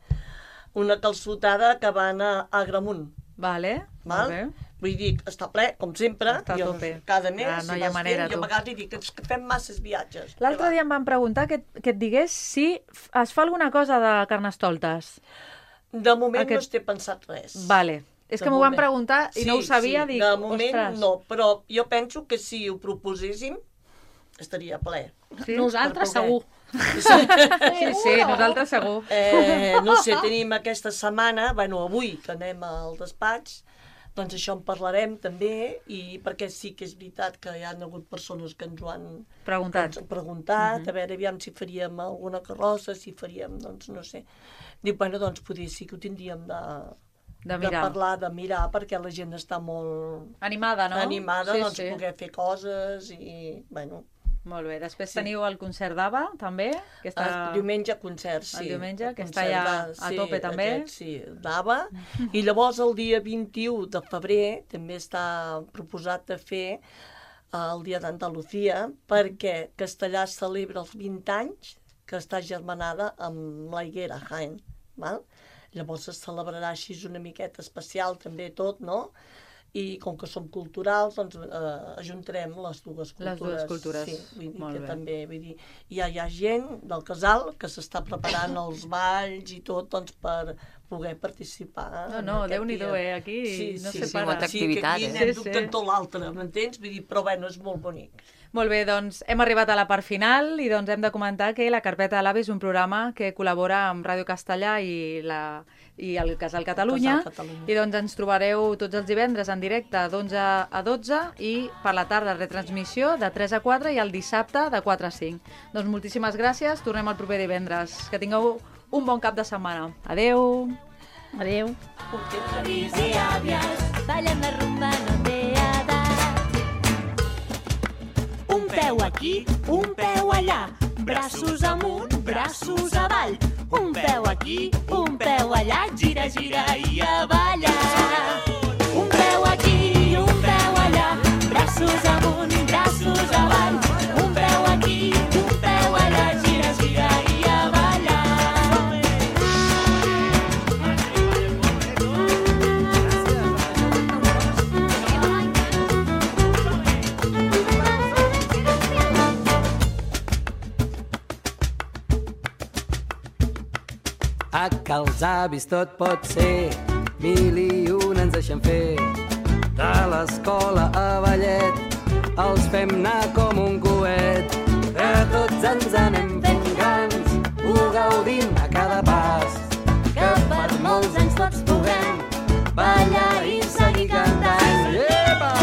[SPEAKER 4] Una calçotada que van a Agramunt,
[SPEAKER 1] Vale,
[SPEAKER 4] val?
[SPEAKER 1] molt bé.
[SPEAKER 4] Vull dir, està ple, com sempre,
[SPEAKER 1] Està a
[SPEAKER 4] jo,
[SPEAKER 1] tope.
[SPEAKER 4] cada mes,
[SPEAKER 1] Ah, no
[SPEAKER 4] si
[SPEAKER 1] hi ha
[SPEAKER 4] vas
[SPEAKER 1] manera,
[SPEAKER 4] fent, jo
[SPEAKER 1] tu.
[SPEAKER 4] a vegades li dic "És que fem masses viatges.
[SPEAKER 1] L'altre
[SPEAKER 4] Què
[SPEAKER 1] dia em van preguntar que, que et digués si f- es fa alguna cosa de Carnestoltes.
[SPEAKER 4] va?" De moment
[SPEAKER 1] Aquest-
[SPEAKER 4] no es té pensat res.
[SPEAKER 1] Vale. És
[SPEAKER 4] De
[SPEAKER 1] que m'ho van
[SPEAKER 4] moment.
[SPEAKER 1] preguntar i no ho sabia,
[SPEAKER 4] sí,
[SPEAKER 1] dic,
[SPEAKER 4] de moment
[SPEAKER 1] ostres.
[SPEAKER 4] no, però jo penso que si ho proposéssim estaria ple.
[SPEAKER 1] Sí?
[SPEAKER 3] Nosaltres
[SPEAKER 4] Per poder.
[SPEAKER 3] segur.
[SPEAKER 1] Sí, sí, nosaltres segur.
[SPEAKER 4] Eh, no sé, tenim aquesta setmana, bueno, avui que anem al despatx, doncs això en parlarem també, i perquè sí que és veritat que hi ha hagut persones que ens ho han
[SPEAKER 1] Preguntat.
[SPEAKER 4] ens han preguntat, a veure, aviam si faríem alguna carrossa, si faríem, doncs no sé. Dic, bueno, doncs potser sí que ho tindríem de,
[SPEAKER 1] De
[SPEAKER 4] de
[SPEAKER 1] mirar.
[SPEAKER 4] parlar, de mirar, perquè la gent està molt
[SPEAKER 1] Animada, no?
[SPEAKER 4] animada,
[SPEAKER 1] sí,
[SPEAKER 4] doncs
[SPEAKER 1] sí.
[SPEAKER 4] poder fer coses i, bueno,
[SPEAKER 1] Molt bé. Després
[SPEAKER 4] Sí.
[SPEAKER 1] teniu el concert d'Ava, també, que està...
[SPEAKER 4] el diumenge concert, sí.
[SPEAKER 1] El diumenge, que
[SPEAKER 4] El
[SPEAKER 1] està
[SPEAKER 4] concert
[SPEAKER 1] ja
[SPEAKER 4] de-
[SPEAKER 1] a
[SPEAKER 4] sí,
[SPEAKER 1] tope també.
[SPEAKER 4] Aquest, sí, d'Ava. I llavors el dia vint-i-u de febrer també està proposat de fer el dia d'Andalusia, perquè Castellà celebra els vint anys que està germanada amb la Higuera, Jaén. Val? Llavors es celebrarà així una miqueta especial també tot, no? I com que som culturals, doncs eh, ajuntarem les dues cultures.
[SPEAKER 1] Les dues cultures.
[SPEAKER 4] Sí, vull dir
[SPEAKER 1] Molt
[SPEAKER 4] que
[SPEAKER 1] bé.
[SPEAKER 4] també, vull dir, ja hi ha gent del casal que s'està preparant els balls i tot, doncs, per poder participar.
[SPEAKER 1] No,
[SPEAKER 4] en
[SPEAKER 1] no,
[SPEAKER 4] aquest
[SPEAKER 1] Déu-n'hi-do,
[SPEAKER 4] dia.
[SPEAKER 1] eh, aquí no se
[SPEAKER 2] sí,
[SPEAKER 1] para.
[SPEAKER 2] molta
[SPEAKER 4] Sí, que
[SPEAKER 2] activitat,
[SPEAKER 4] aquí
[SPEAKER 2] eh?
[SPEAKER 4] anem
[SPEAKER 1] Sí,
[SPEAKER 4] sí,
[SPEAKER 1] sí.
[SPEAKER 4] dubtant tot l'altre, m'entens? Vull dir, però bueno, és molt bonic.
[SPEAKER 1] Molt bé, doncs hem arribat a la part final i doncs hem de comentar que la Carpeta de l'Avi és un programa que col·labora amb Ràdio Castellà i, la, i el Casal Catalunya.
[SPEAKER 4] Casal Catalunya.
[SPEAKER 1] I doncs ens trobareu tots els divendres en directe d'onze a dotze i per la tarda retransmissió de tres a quatre i el dissabte de quatre a cinc. Doncs moltíssimes gràcies, tornem el proper divendres. Que tingueu un bon cap de setmana. Adeu!
[SPEAKER 3] Adéu.
[SPEAKER 6] Avis i àvies, ballen la rumba, no té edat. Un peu aquí, un peu allà, braços amunt, braços avall. Un peu aquí, un peu allà, gira, gira i a ballar. Un peu aquí, un peu allà, braços amunt, braços avall. Un peu aquí, un peu allà, gira, gira i a ballar.
[SPEAKER 7] A que els avis tot pot ser, mil i un ens deixen fer. De l'escola a ballet, els fem anar com un coet. Que tots ens anem fent grans, ho gaudim a cada pas.
[SPEAKER 6] Que per molts anys tots puguem ballar i seguir cantant.
[SPEAKER 7] Epa!